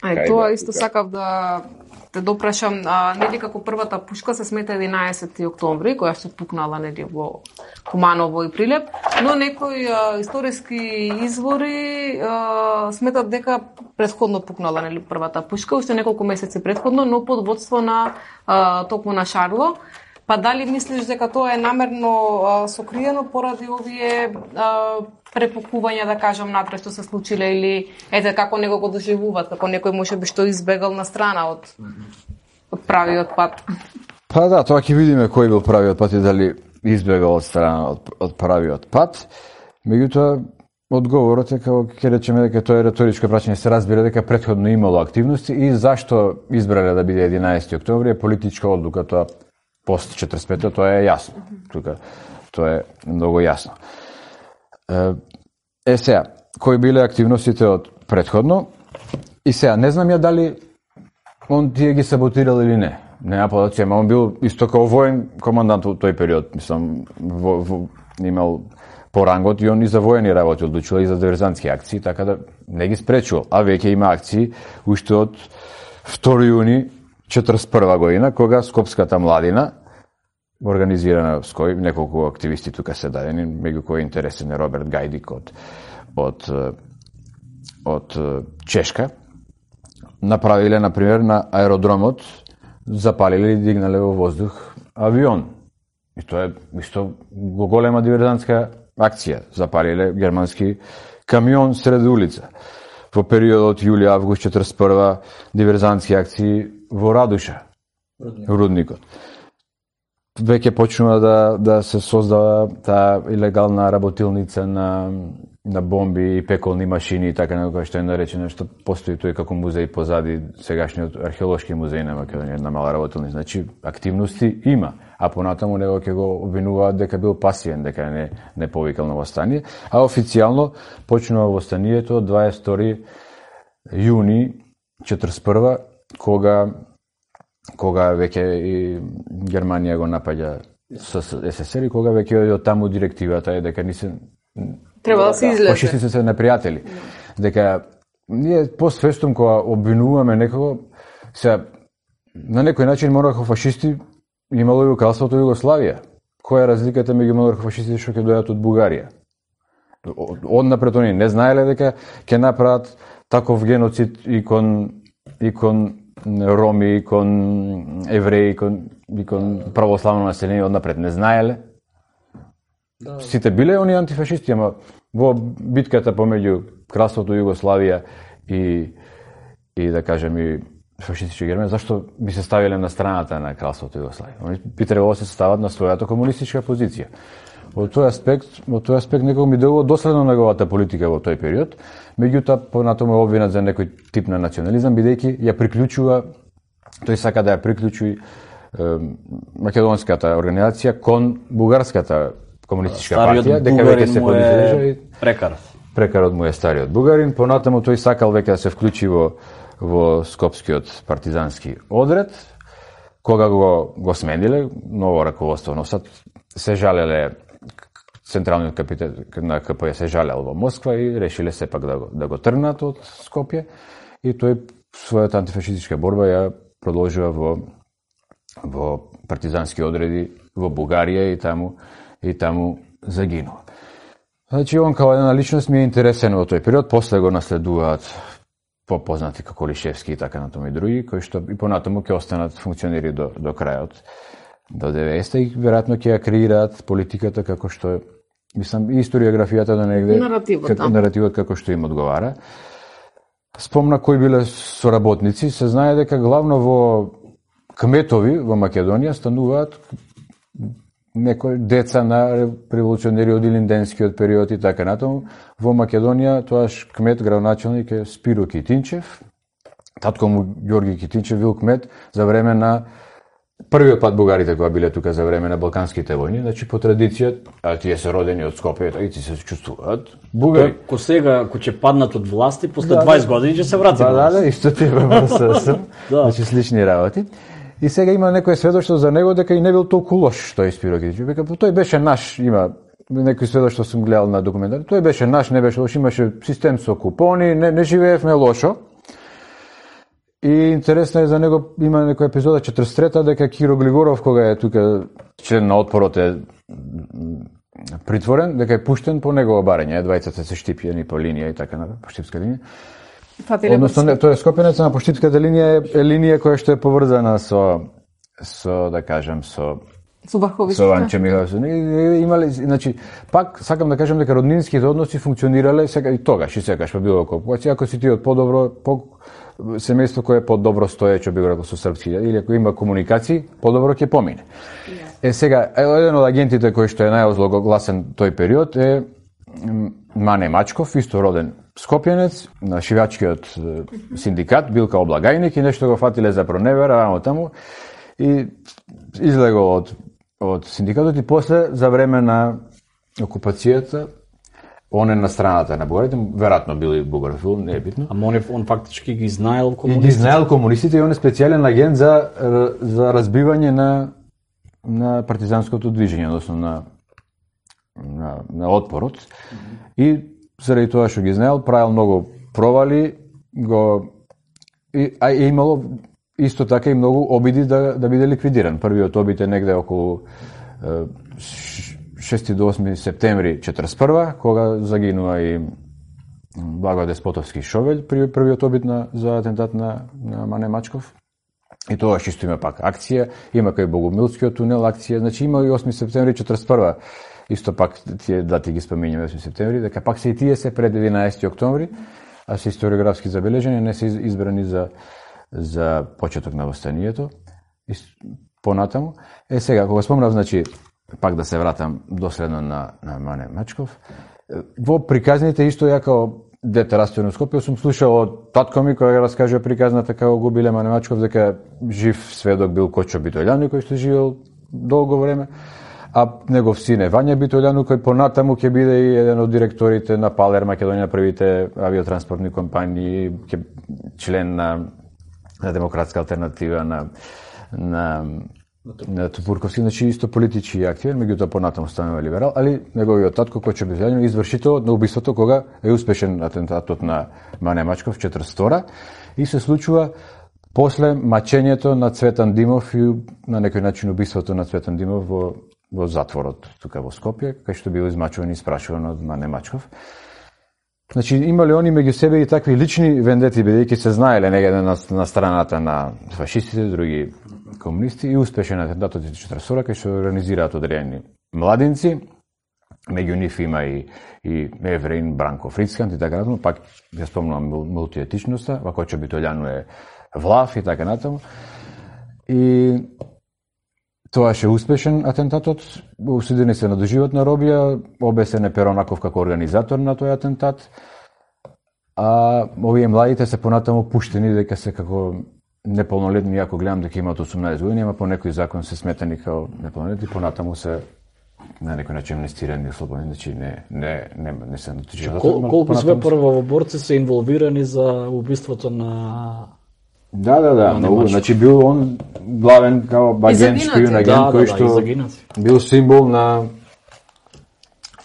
Ај, тоа исто сакав да те допрашам, а, нели како првата пушка се смета единаесети октомври, која што пукнала нели во Куманово и Прилеп, но некои а, историски извори а, сметат дека претходно пукнала нели првата пушка, уште неколку месеци претходно, но под водство на а, токму на Шарло. Па дали мислиш дека тоа е намерно а, сокриено поради овие а, препукувања, да кажам, натре што се случиле, или ете како него го доживуваат, како некој можеби што избегал на страна од од правиот пат? Па да, тоа ќе видиме кој бил правиот пат и дали избегал од страна од, од правиот пат. Меѓутоа, одговорот е како ќе речеме дека тоа е реторичко прашање, се разбира дека претходно имало активности и зашто избрале да биде единаесети октомври е политичка одлука, тоа пост четиридесет и петте, тоа е јасно. Тука тоа е многу јасно. Е сега, кои биле активностите од претходно? И сега, не знам ја дали он тие ги саботирал или не. Нема податци, ама он бил исто као воен командант во тој период, мислам, во, во, имал порангот и он и за воени работи одлучува и за диверзантски акции, така да не ги спречувал. А веќе има акции уште од втори јуни четиридесет и прва година, кога Скопската младина, организирана с кој неколку активисти тука се дадени, меѓу кои интересен е Роберт Гајдик од, од, од Чешка, направиле, например, на аеродромот, запалиле и дигнале во воздух авион. И тоа е исто голема диверзантска акција. Запалиле германски камион сред улица. Во периодот јули-август четиридесет и прва диверзантски акции во Радуша, Рудникот. Рудникот. Веќе почнува да, да се создава таа илегална работилница на, на бомби и пеколни машини и така некоја што е наречено, што постои тој како музеј позади сегашниот археолошки музеј на Македонија, на мала работилница. Значи, активности има, а понатаму него ќе го обвинуваат дека бил пасивен, дека не, не повикал на востание, а официјално почнува востанието од дваесет и втори јуни четиридесет и прва, кога кога веќе и Германија го напаѓа со СССР и кога веќе од таму директивата е дека ни се треба да се излезе. Фашисти се непријатели. Дека ние постфестум кога обвинуваме некого, се на некој начин монархо фашисти имало и во кралството Југославија. Која е разликата меѓу монархо фашистите што ќе дојдат од Бугарија? Однапред они не знаеле дека ќе направат таков геноцид и кон и кон роми, кон евреи, кон, кон православно население, однапред не знаеле. Да. Сите биле они антифашисти, ама во битката помеѓу кралството Југославија и, и да кажем и фашистички Германија, зашто би се ставиле на страната на кралството Југославија? Они би требало да се стават на својата комунистичка позиција. Во тој аспект, во тој аспект некој ми делува доследно неговата политика во тој период, меѓутоа понатаму е обвинат за некој тип на национализам, бидејќи ја приклучува, тој сака да ја приклучи е, македонската организација кон бугарската комунистичка партија, дека веќе се подиже и прекарот. Прекарот му е стариот бугарин, понатаму тој сакал веќе да се вклучи во во скопскиот партизански одред, кога го го смениле ново раководство на САД, се жалеле централниот капитет на КП се жалел во Москва и решиле сепак да го, да го тргнат од Скопје и тој својата антифашистичка борба ја продолжува во во партизански одреди во Бугарија и таму и таму загинува. Значи он као една личност ми е интересен во тој период, после го наследуваат попознати како Лишевски и така натаму и други, кои што и понатаму ќе останат функционери до до крајот до деветдесетте и веројатно ќе ја креираат политиката како што мислам и историографијата до негде наративот, како, да. наративот како што им одговара. Спомна кои биле соработници, се знае дека главно во кметови во Македонија стануваат некои деца на револуционери од Илинденскиот период и така натаму. Во Македонија тоаш кмет градоначалник е Спиро Китинчев. Татко му Ѓорги Китинчев бил кмет за време на првиот пат бугарите кога биле тука за време на Балканските војни, значи по традиција, а тие се родени од Скопје, и ти се чувствуваат бугари. Ко сега, ко ќе паднат од власти, после да, дваесет години ќе се врати. Да, да, да, исто тебе ВСС, значи слични работи. И сега има некој сведоштво за него дека и не бил толку лош тој Спиро Китинчев. Века тој беше наш, има некој сведоштво сум гледал на документари. Тој беше наш, не беше лош, имаше систем со купони, не, не живеевме лошо. И интересно е за него, има некоја епизода четридесет и трета дека Киро Глигоров, кога е тука член на отпорот, е притворен, дека е пуштен по негово барање, двајцата се штипјени по линија и така на по штипска линија. Односно, не, тој е скопенец, на по штипската линија е, е линија која што е поврзана со со да кажам со со врховиста. Со Анче Михайловски. Имале, значи, пак сакам да кажам дека роднинските односи функционирале сега и тогаш и секогаш па било околу. Ако си ти од подобро по семејство кое е подобро стоече, би го рекол со српски, или ако има комуникации, подобро ќе помине. Е сега, еден од агентите кој што е најозлогласен тој период е Мане Мачков, исто роден скопјанец, на шивачкиот синдикат, бил као облагајник и нешто го фатиле за проневера, амо таму, и излегол од, од синдикатот и после, за време на окупацијата, он е на страната на бугарите, веројатно бил и бугарофил, не е битно. Ама он, он фактички ги знаел комунистите. И ги знаел комунистите и он е специјален агент за, за разбивање на, на партизанското движење, односно на, на, на отпорот. Mm-hmm. И заради тоа што ги знаел, правил многу провали, го, и, а е имало исто така и многу обиди да, да биде ликвидиран. Првиот обид е негде околу шести до осми септември четридесет и прва, кога загинува и Благоје Деспотовски Шовелј, првиот обид на, за атентат на, на Мане Мачков. И тоа што има пак акција, има кај Богомилскиот тунел акција, значи има и осми септември четридесет и прва. Исто пак тие дати ги споминјаме осми септември, дека пак се и тие се пред единаесети октомври, а се историографски забележени, не се избрани за за почеток на востанието и понатаму. Е сега, кога спомнав, значи, пак да се вратам доследно на, на Мане Мачков, во приказните исто ја као дете растено в Скопје, сум слушал од татко ми кој ја раскажува приказната како го биле Мане Мачков, дека жив сведок бил Кочо Битољану кој што живел долго време, а негов син е Вања Битољану кој понатаму ќе биде и еден од директорите на Палер Македонија, првите авиотранспортни компании, ќе член на на демократска алтернатива на на на Тупурковски, значи исто политички активен, меѓутоа понатаму станува либерал, али неговиот татко Кочо Битољану извршител на убиството кога е успешен атентатот на Мане Мачков четридесет и втора и се случува после мачењето на Цветан Димов и на некој начин убиството на Цветан Димов во во затворот тука во Скопје, кај што бил измачуван и испрашуван од Мане Мачков. Значи, имале они меѓу себе и такви лични вендети, бидејќи се знаеле негде на, на страната на фашистите, други комунисти, и успешен атентатот од четридесет и втора, кај што организираат одредени младинци, меѓу нив има и, и Евреин, Бранко Фрицкант и така натаму, пак ја спомнувам мултиетичноста, Кочо Битољану е влав и така натаму. И тоа ше успешен атентатот, осудени се на доживотна робија, обесен е Перонаков како организатор на тој атентат, а овие младите се понатаму пуштени дека се како неполнолетни, ако гледам дека имаат осумнаесет години, ама по некој закон се сметани како неполнолетни, понатаму се на некој начин амнестирани и слободни, значи не не не не се натежуваат. Кол, колку све првоборци се инволвирани за убиството на Да, да, да, многу, значи бил он главен као агент, шпион агент, да, кој што да, бил символ на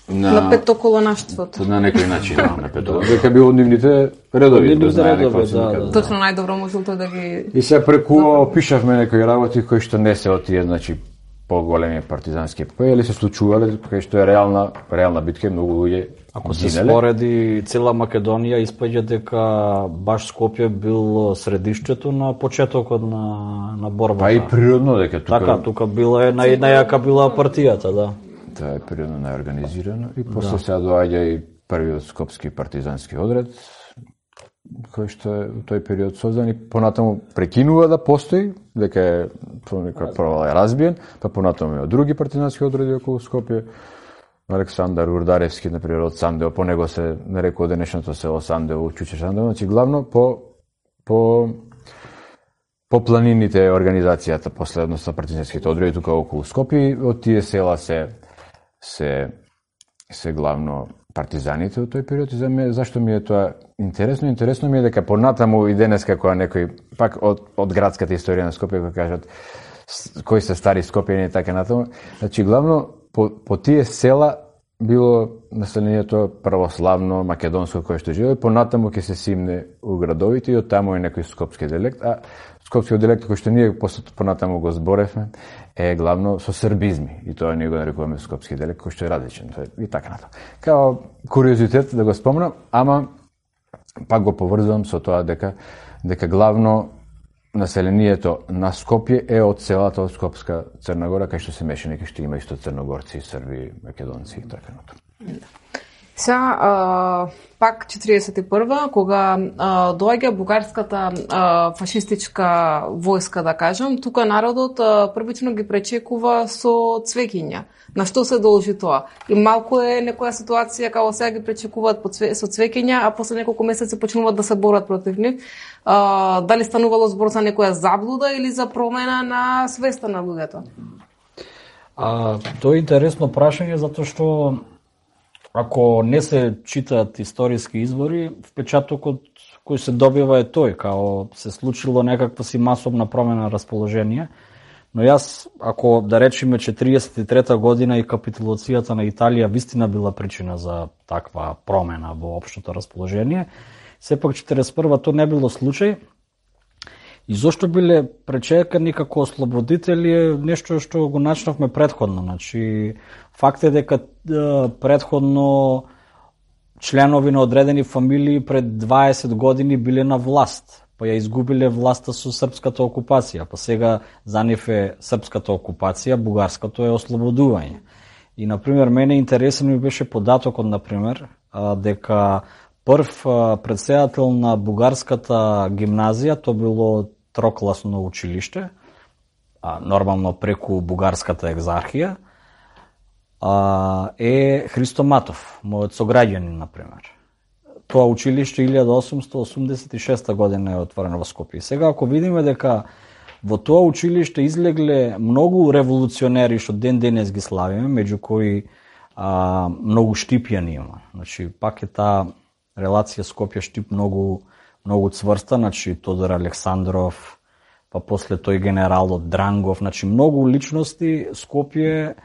на, на петоколонаштвото. На некој начин, на петоколонаштвото. Дека бил од нивните редови, да знае редови, да, да. Точно најдобро можел тој да ги... И се преку пишавме некои работи кои што не се од тие, значи, поголеми партизански епопеи, или се случувале, кај што е реална, реална битка, многу луѓе. Ако се спореди цела Македонија, испаѓа дека баш Скопје бил средиштето на почетокот на на борбата. Па и природно дека тука. Така, тука била е нај најака била партијата, да. Тоа е природно најорганизирано и после да. Сега доаѓа и првиот скопски партизански одред, кој што е во тој период создан и понатаму прекинува да постои, дека е некоја провала е разбиен, па понатаму има други партизански одреди околу Скопје. Александар Урдаревски, например, од Сандево, по него се нарекува денешното село Сандево, Чуче Сандево, значи главно по по по планините организацијата последно со партизанските одреди тука околу Скопје, од тие села се се се главно партизаните од тој период и за мене зашто ми е тоа интересно, интересно ми е дека понатаму и денеска кога некој пак од од градската историја на Скопје кога кажат кои се стари скопјани и така натаму, значи главно по, по тие села било населението православно македонско кое што живее, понатаму ќе се симне у градовите и од таму е некој скопски диалект, а скопскиот диалект кој што ние понатаму го зборевме е главно со србизми и тоа ние го нарекуваме скопски диалект кој што е различен и така натаму. Као куриозитет да го спомнам, ама пак го поврзувам со тоа дека дека главно населението на Скопје е од селата од Скопска Црна Гора, кај што се мешани, кај што има исто црногорци, срби, македонци и така натаму. Са, а, пак четиридесет и прва, кога а, доаѓа бугарската а, фашистичка војска, да кажем, тука народот а, првично ги пречекува со цвеќиња. На што се должи тоа? И малку е некоја ситуација како сега ги пречекуваат со цвеќиња, а после неколку месеци почнуваат да се борат против нив. А, дали станувало збор за некоја заблуда или за промена на свеста на луѓето? А, тоа е интересно прашање, затоа што ако не се читаат историски извори, впечатокот кој се добива е тој, као се случило некаква си масовна промена на расположение. Но јас, ако да речеме четиридесет и трета година и капитулацијата на Италија вистина била причина за таква промена во општото расположение, сепак четиридесет и прва тоа не било случај. И зошто биле пречекани како ослободители е нешто што го начнавме претходно. Значи, факт е дека претходно членови на одредени фамилии пред дваесет години биле на власт, па ја изгубиле власта со српската окупација, па сега за нив е српската окупација, бугарското е ослободување. И, например, мене интересен ми беше податокот, например, дека прв председател на бугарската гимназија, тоа било трокласно училиште, нормално преку бугарската екзархија, е Христо Матов, мојот сограѓанин, например. Тоа училиште илјада осумстотини осумдесет и шеста година е отворено во Скопје. Сега, ако видиме дека во тоа училиште излегле многу револуционери што ден денес ги славиме, меѓу кои а, многу Штипјани има. Значи, пак е таа релација Скопје-Штип многу, многу цврста, значи Тодор Александров, па после тој генералот Дрангов, значи многу личности Скопје,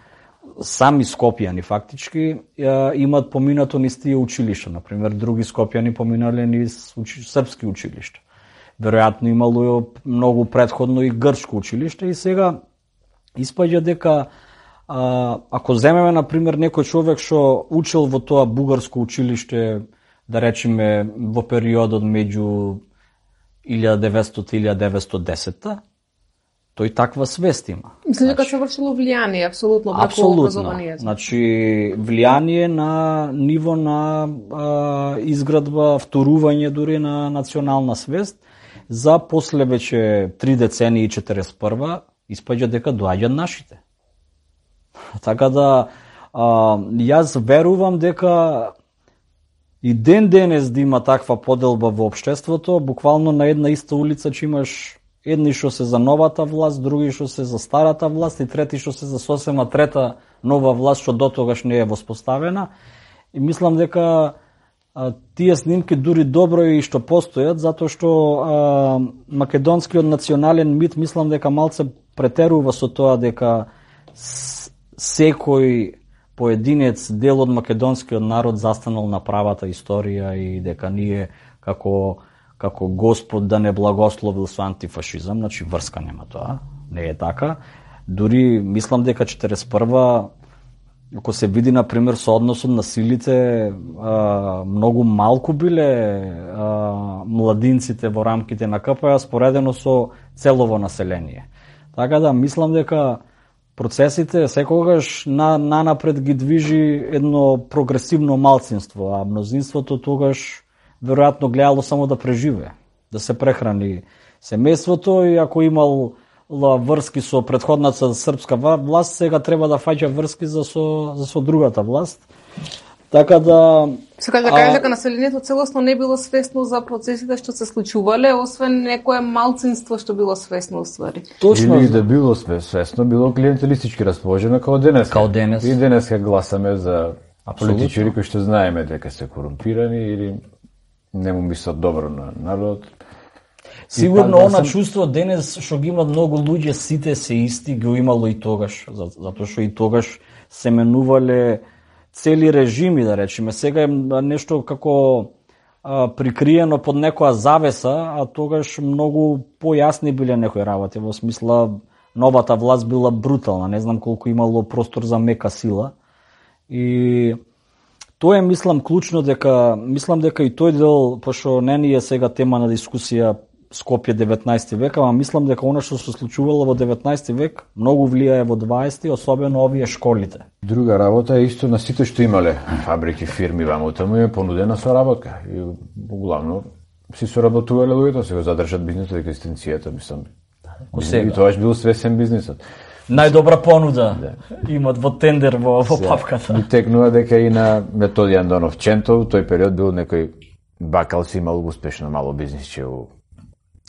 сами скопјани фактички имаат поминато низ тие училишта. Например, други скопјани поминале низ учи, српски училишта. Веројатно имало многу претходно и грчко училиште и сега испаѓа дека а, ако земеме, например, некој човек што учил во тоа бугарско училиште, да речеме во периодот меѓу илјада и деветстотини и илјада и деветстотини и десета, тој таква свест има. Мислам дека се вршило влијание, апсолутно, врху образованието. Значи, влијание на ниво на а, изградба, вторување дури на национална свест, за после веќе три децении и четиридесет и прва испаѓа дека доаѓаат нашите. Така да, а, јас верувам дека и ден денес да има таква поделба во општеството, буквално на една иста улица че имаш едни што се за новата власт, други што се за старата власт и трети што се за сосема трета нова власт што дотогаш не е воспоставена. И мислам дека а, тие снимки дури добро и што постојат, затоа што а, македонскиот национален мит мислам дека малце претерува со тоа дека секој поединец дел од македонскиот народ застанал на правата историја и дека ние како како Господ да не благословил со антифашизам, значи врска нема тоа, не е така. Дури мислам дека четиридесет и прва, ако се види например со односот на силите, а, многу малку биле а, младинците во рамките на ка пе а споредено со целово население. Така да мислам дека процесите секогаш на, на напред ги движи едно прогресивно малцинство, а мнозинството тогаш веројатно гледало само да преживее, да се прехрани семејството и ако имал врски со претходната српска власт, сега треба да фаќа врски за со, за со другата власт. Така да... Сега да кажа дека населението целосно не било свесно за процесите што се случувале, освен некое малцинство што било свесно уствари. Точно. Или да било свесно, било клиентелистички расположено како денес. Као денес. И денес гласаме за политичари кои што знаеме дека се корумпирани или не му мислат добро на народот. Сигурно она сам... чувство денес што ги имат многу луѓе, сите се исти, го имало и тогаш, затоа што и тогаш се менувале цели режими, да речеме. Сега е нешто како а, прикриено под некоја завеса, а тогаш многу појасни биле некои работи, во смисла новата власт била брутална, не знам колку имало простор за мека сила. И тоа е, мислам, клучно дека, мислам дека и тој дел, пошто не ни е сега тема на дискусија Скопје деветнаести век, ама мислам дека она што се случувало во деветнаести век многу влијае во дваесети, особено овие школите. Друга работа е исто на сите што имале фабрики, фирми ваму таму е понудена соработка. И главно си соработувале луѓето, се го задржат бизнисот и екзистенцијата, мислам. И тоаш бил свесен бизнисот. Најдобра понуда да. Имат во тендер во, во папката. Ми текнува дека и на Методи Андонов Чентов, тој период бил некој бакал си имал успешно мало бизнисче во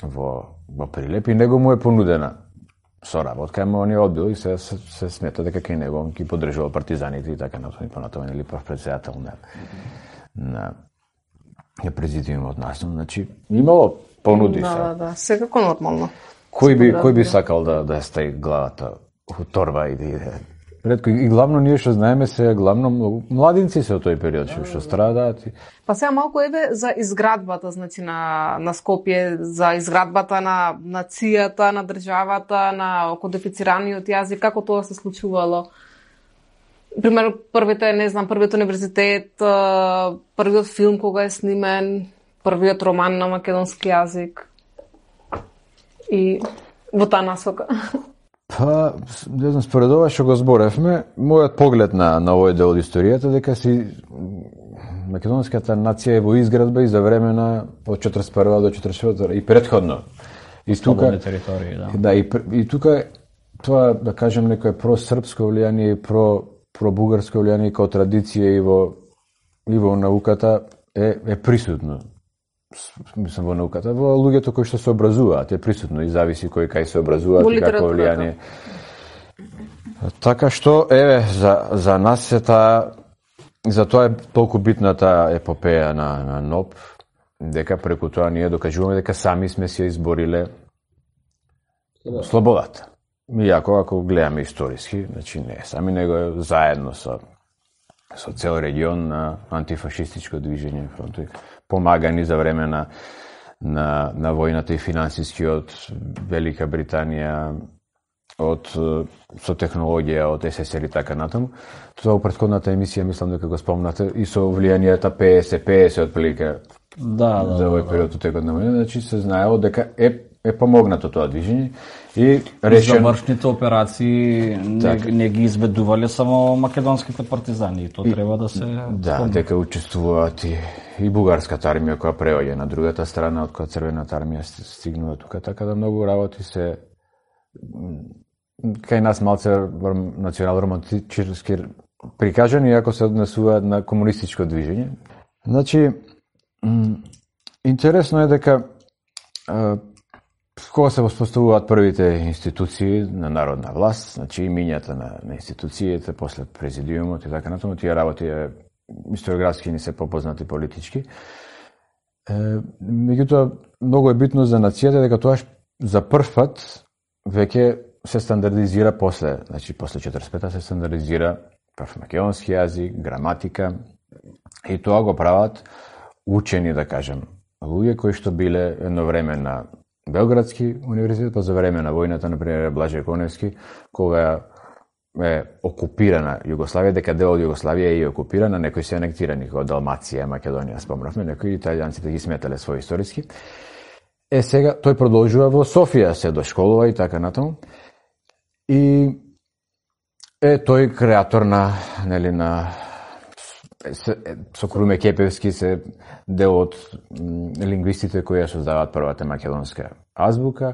во, во Прилеп и него му е понудена соработка, ама он ја одбил и се, се, се смета дека кај него он ги поддржувал партизаните и така натаму и понатаму нели прв претседател на на ја президиумот насно, значи имало понуди да, се. Да, да, секако нормално. Кој би кој би сакал да да стаи главата у торба и да иде? Ретко и главно ние што знаеме се главно младинци се од тој период што што страдаат. Па сега малку еве за изградбата, значи на на Скопје, за изградбата на нацијата, на државата, на кодифицираниот јазик, како тоа се случувало? Пример, првите, не знам, првиот универзитет, првиот филм кога е снимен, првиот роман на македонски јазик. И во таа насока. Па, не знам, според ова што го зборевме, мојот поглед на, на овој дел од историјата дека си македонската нација е во изградба и за време на од четридесет и прва до четридесет и четврта и претходно. И тука територии, да. Да, и, и тука тоа да кажем некое просрпско влијание и про пробугарско влијание како традиција и во и во науката е е присутно. Мислам во науката, во луѓето кои што се образуваат е присутно и зависи кој кај се образуваат и какво влијание. Така што еве за за нас е таа за тоа е толку битна таа епопеја на на НОП, дека преку тоа ние докажуваме дека сами сме се избориле слободата. Иако ако гледаме историски, значи не, сами него е заедно со со цел регион на антифашистичко движење фронтови, помагани за време на на на војната и финансиски од Велика Британија, од со технологија од Ес Ес Ер и така натаму. Тоа во претходната емисија мислам дека го спомнате и со влијанието Пе Ес Пе Ес отприлика. Да, да, за овој период од текот на војна, значи се знаело дека е е помогнато тоа движење и решено завршните операции не, не ги изведувале само македонските партизани и тоа и, треба да се да, спомне. дека учествуваат и, и бугарската армија која преоѓа на другата страна од која црвената армија стигнува тука, така да многу работи се кај нас малце национално романтички прикажани, иако се однесуваат на комунистичко движење. Значи, интересно е дека кога се воспоставуваат првите институции на народна власт, значи имињата на, на институциите, после президиумот и така натаму, тие работи е, историографски ни се попознати политички. Е, меѓутоа, многу е битно за нацијата дека тоа за прв пат веќе се стандардизира после, значи после четиридесет и пета се стандардизира прв македонски јазик, граматика и тоа го прават учени, да кажем, луѓе кои што биле едно време на Белградски универзитет, па за време на војната, например, Блаже Коневски, кога е окупирана Југославија, дека дел од Југославија е и окупирана, некои се анектирани, како Далмација, Македонија, спомнавме, некои италијанците ги сметале свој историски. Е, сега, тој продолжува во Софија, се дошколува и така натаму. И е тој креатор на, нели, на со Круме Кепевски се дел од лингвистите кои ја создаваат првата македонска азбука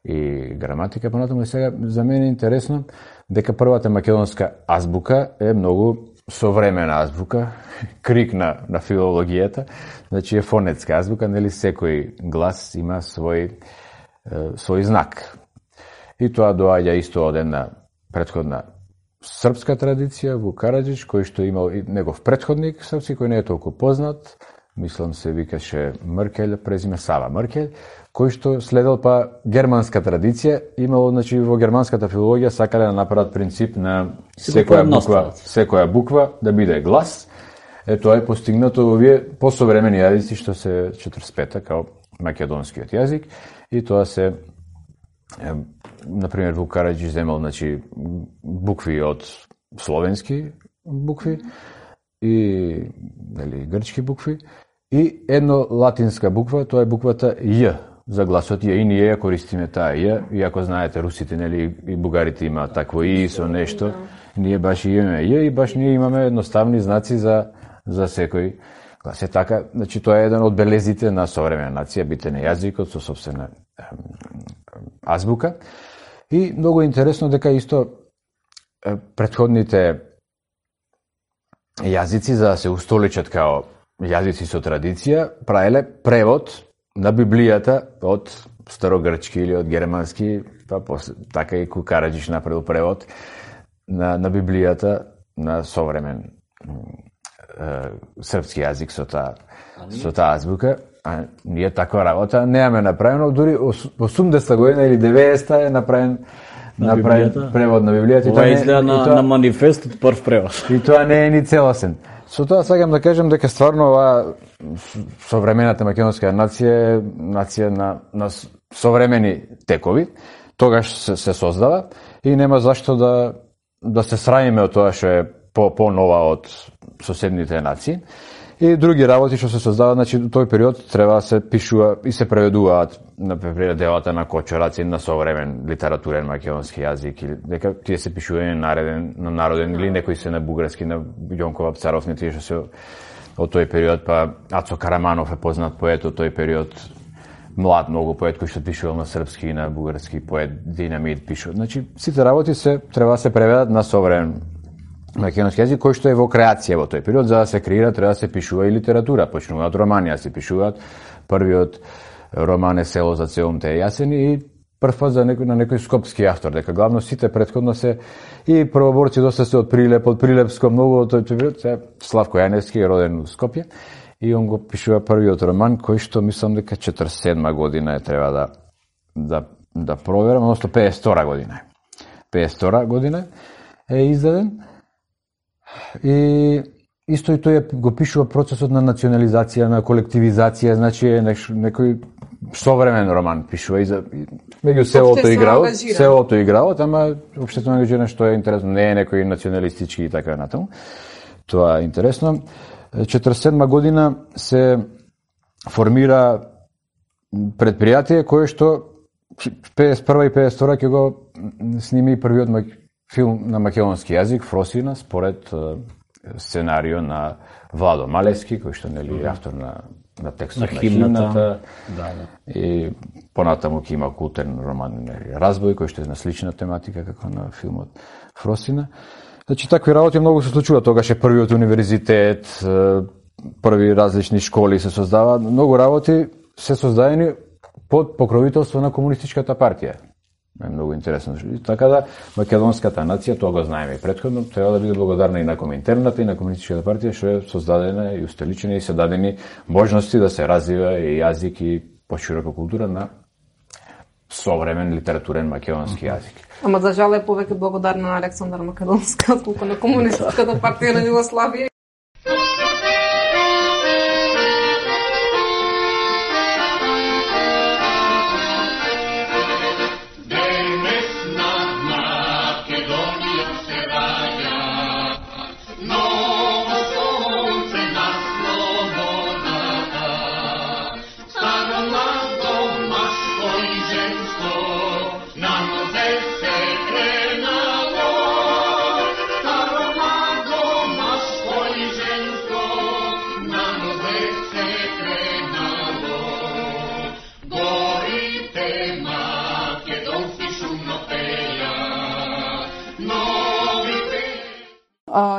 и граматика. Понатаму и сега за мене е интересно дека првата македонска азбука е многу современа азбука, крик на, на филологијата, значи е фонетска азбука, нели секој глас има свој, свој знак. И тоа доаѓа исто од една претходна српска традиција, Вук Караџич, кој што имал и негов претходник српски, кој не е толку познат, мислам се викаше Меркел, презиме Сава Меркел, кој што следел па германска традиција, имало, значи, во германската филологија сакале да направат принцип на секоја буква, секоја буква да биде глас. Е, тоа е постигнато во овие посовремени јазици што се четридесет и пета, као македонскиот јазик, и тоа се, е, например, Вук Караџич земал, значи, букви од словенски букви и, нели, грчки букви, и едно латинска буква, тоа е буквата Ј, за гласот Ј, и ние ја користиме таа Ј, иако знаете, русите, нели, и бугарите имаат такво И со нешто, ние баш имаме Ј, и баш ние имаме едноставни знаци за, за секој глас. Е така, значи, тоа е еден од белезите на современа нација, битен е јазикот со собствена азбука. И многу интересно дека исто претходните јазици, за да се устоличат као јазици со традиција, правеле превод на Библијата од старогрчки или од германски, па после, така и Вук Караџич направил превод на, на Библијата на современ е, српски јазик со таа со таа азбука. А ние таква работа немаме направено, дури осумдесета година или деветдесета е направен на направен превод на Библијата. Ова изгледа на, тоа, на манифестот прв превод. И тоа не е ни целосен. Со тоа сакам да кажем дека стварно оваа современата македонска нација е нација на, на современи текови, тогаш се, се создава и нема зашто да, да се срамиме од тоа што е по, по-нова од соседните нации. И други работи што се создаваат, значи тој период треба да се пишува и се преведуваат на делата на Кочорац на современ литературен македонски јазик, или дека тие се пишување на нареден, на народен, или некои се на бугарски, на Јонков Апцаров, не тие што се од тој период, па Ацо Караманов е познат поет од тој период, млад многу поет кој што пишувал на српски и на бугарски, поет Динамит пишува. Значи сите работи се треба да се преведат на современ македонски јазик, кој што е во креација во тој период. За да се креира, треба да се пишува и литература. Почнуваат романи, а се пишуваат. Првиот роман е Село за целумте јасени и првпат за некој, на некој скопски автор, дека главно сите претходно се и првоборци доста се од Прилеп, од Прилепско многу од тој период. Славко Јаневски е роден во Скопје и он го пишува првиот роман, кој што мислам дека четиридесет и седма година е, треба да да да проверам, односно педесет и втора година е. педесет и втора година е издаден. И исто и тој го пишува процесот на национализација, на колективизација, значи е некој современ роман пишува и за меѓу селото и градот, селото и градот, ама општествено ангажиран, што е интересно, не е некој националистички и така натаму. Тоа е интересно. четиридесет и седма година се формира предпријатие кое што педесет и прва и педесет и втора ќе го сними првиот филм на македонски јазик, Фросина, според сценарио на Владо Малевски, кој што нели е автор на на текстот на, на химната, да, да. И понатаму ќе има култен роман нели Разбој, кој што е на слична тематика како на филмот Фросина. Значи такви работи многу се случува, тогаш е првиот универзитет, први различни школи се создаваат, многу работи се создадени под покровителство на комунистичката партија. Е многу интересно. Така да македонската нација, тоа го знаеме и претходно, треба да биде благодарна и на Коминтерната и на комунистичката партија што е создадена и устеличена и се дадени можности да се развива и јазик и поширока култура на современ литературен македонски јазик. Ама за жал е повеќе благодарна на Александар Македонска, колку на комунистичката партија на Југославија.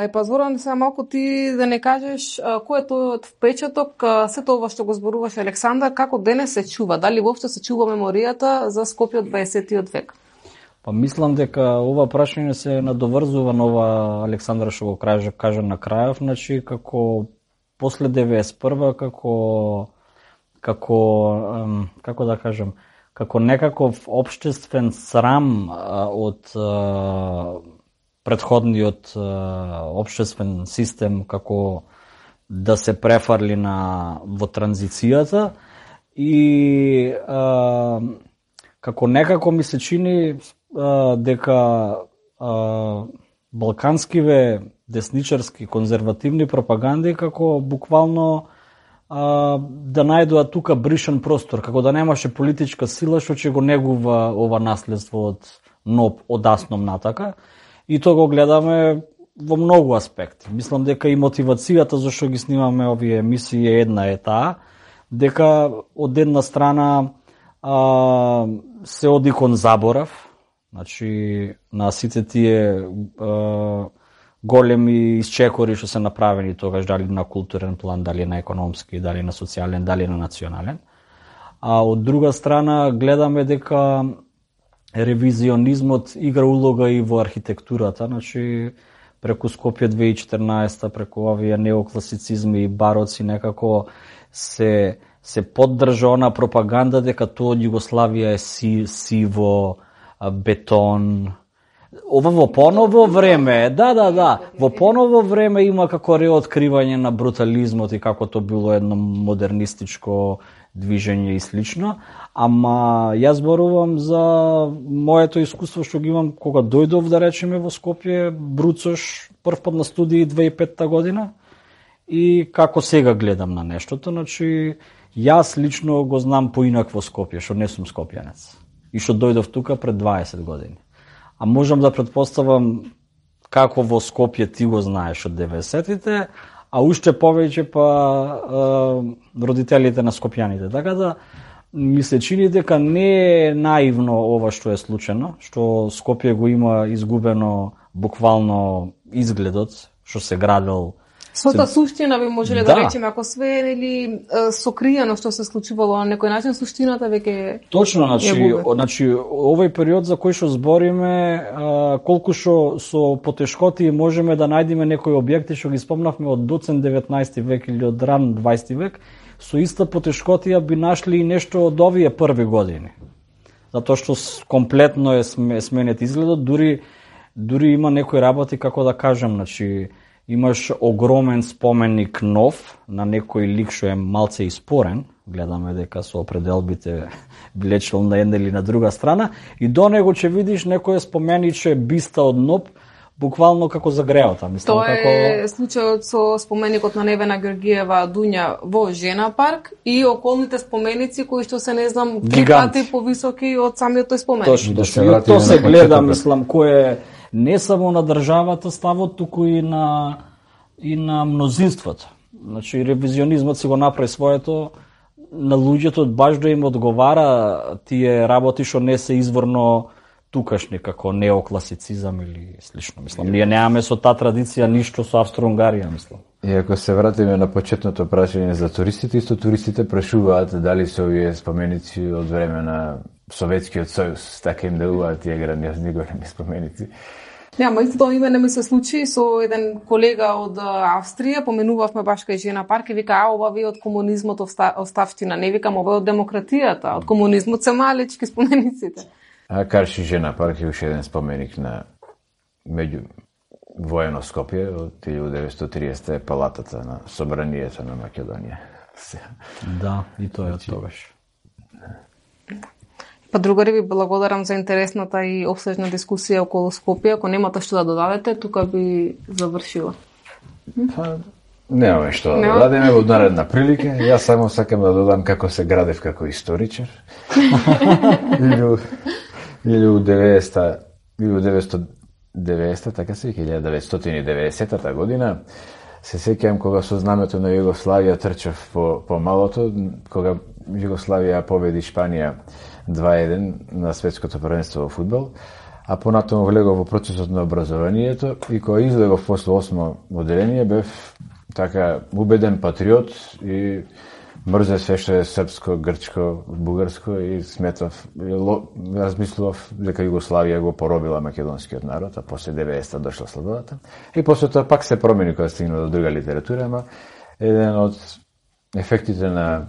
Е, па Зоран, сега малку ти да не кажеш кој е тојот впечаток, сето ова што го зборуваш Александар, како денес се чува? Дали воопшто се чува меморијата за Скопје од дваесеттиот век? Па мислам дека ова прашање се надоврзува на ова Александар што го кажа, кажа на крајов, значи како после деветдесет и прва како како како да кажам, како некаков општествен срам од претходниот општествен систем, како да се префарли на во транзицијата и а, како некако ми се чини а, дека а, балканскиве десничарски конзервативни пропаганди како буквално а, да најдоа тука бришен простор, како да немаше политичка сила што ќе го негува ова наследство од НОП одасном натака. И тоа го гледаме во многу аспекти. Мислам дека и мотивацијата зашто ги снимаме овие емисии една е таа, дека од една страна а, се оди кон заборав, значи на сите тие а, големи исчекори што се направени тогаш, дали на културен план, дали на економски, дали на социјален, дали на национален. А од друга страна гледаме дека ревизионизмот игра улога и во архитектурата, значи преку Скопје две тисячи и четрнаесета, преку овие неокласицизми и бароци некако се се поддржа она пропаганда дека тоа од Југославија е си, сиво, бетон. Ова во поново време, да, да, да, во поново време има како реоткривање на брутализмот и како тоа било едно модернистичко движење и слично, ама јас зборувам за моето искуство што ги имам кога дојдов, да речеме, во Скопје, бруцош, прв пат на студии две тисячи и петта година и како сега гледам на нештото, значи јас лично го знам поинакво Скопје, што не сум скопјанец и што дојдов тука пред дваесет години. А можам да претпоставам како во Скопје ти го знаеш од деветдесетите, а уште повеќе па е, родителите на скопјаните. Така да ми се чини дека не е наивно ова што е случено, што Скопје го има изгубено буквално изгледот, што се градел. Својата суштина би можеле да, да речеме, ако све е нели сокриено што се случувало на некој начин, суштината веќе точно, значи, значи овој период за кој што збориме, а, колку што со потешкоти можеме да најдеме некои објекти што ги спомнавме од доцен деветнаесети век или од ран дваесети век, со иста потешкотија би нашли и нешто од овие први години. Затоа што комплетно е сменет изгледот, дури дури има некои работи, како да кажам, значи имаш огромен споменик нов на некој лик што е малце испорен, гледаме дека со определбите билечел на една или на друга страна, и до него ќе видиш некој спомениче биста од НОП, буквално како загреота. Мислам, Тоа како... е случајот со споменикот на Невена Георгиева Дуња во Жена парк и околните споменици кои што се не знам три пати повисоки од самиот тој споменик. Точно, да се тоа се гледа, мислам, кој е не само на државата ставот, туку и на и на мнозинството. Значи ревизионизмот си го направи своето, на луѓето баш да им одговара тие работи што не се изворно тукашни, како неокласицизам или слично. Мислам, ние немаме со таа традиција ништо со Австро-Унгарија, мислам. И ако се вратиме на почетното прашање за туристите, исто туристите прашуваат дали се овие споменици од време на Советскиот сојуз, така им делуваат тие грандиозни големи споменици. Не, ама истото име не ми се случи со еден колега од Австрија, поменувавме баш кај Жена парк и вика, а ова ви од комунизмот оставштина, не викам ова од демократијата, од комунизмот се малечки спомениците. А Карши Жена парк е уште еден споменик на меѓу воено Скопје од тисяча деветстотини и триесета е палатата на Собранието на Македонија. Да, и тоа е од тогаш. Па другари, ви благодарам за интересната и обсежна дискусија околу Скопје. Ако немате што да додадете, тука би завршила. Па, немаме што да додадеме во наредна прилика. Јас само сакам да додам како се градев како историчар. илјада деветстотини и деветдесета, така се, илјада деветстотини и деветдесета година, се сеќавам кога со знамето на Југославија трчав по, по малото, кога Југославија победи Шпанија два еден на светското првенство во фудбал, а понатаму влегов во процесот на образованието и кога излегов после осмо одделение бев така убеден патриот и мрзе све што е српско, грчко, бугарско и сметав, размислував дека Југославија го поробила македонскиот народ, а после деветдесета дошла слободата. И после тоа пак се промени кога стигна до друга литература, ама еден од ефектите на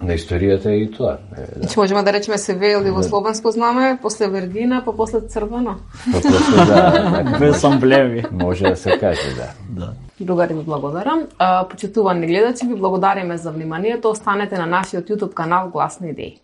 на историјата е и тоа. Значи можеме да речеме се ве или во словенско знаме, после Вергина, па после црвено. Па после да, без амблеми. Може да се каже, да. Да. Другари, ви благодарам. Почитувани гледачи, ви благодариме за вниманието. Останете на нашиот YouTube канал Гласни идеи.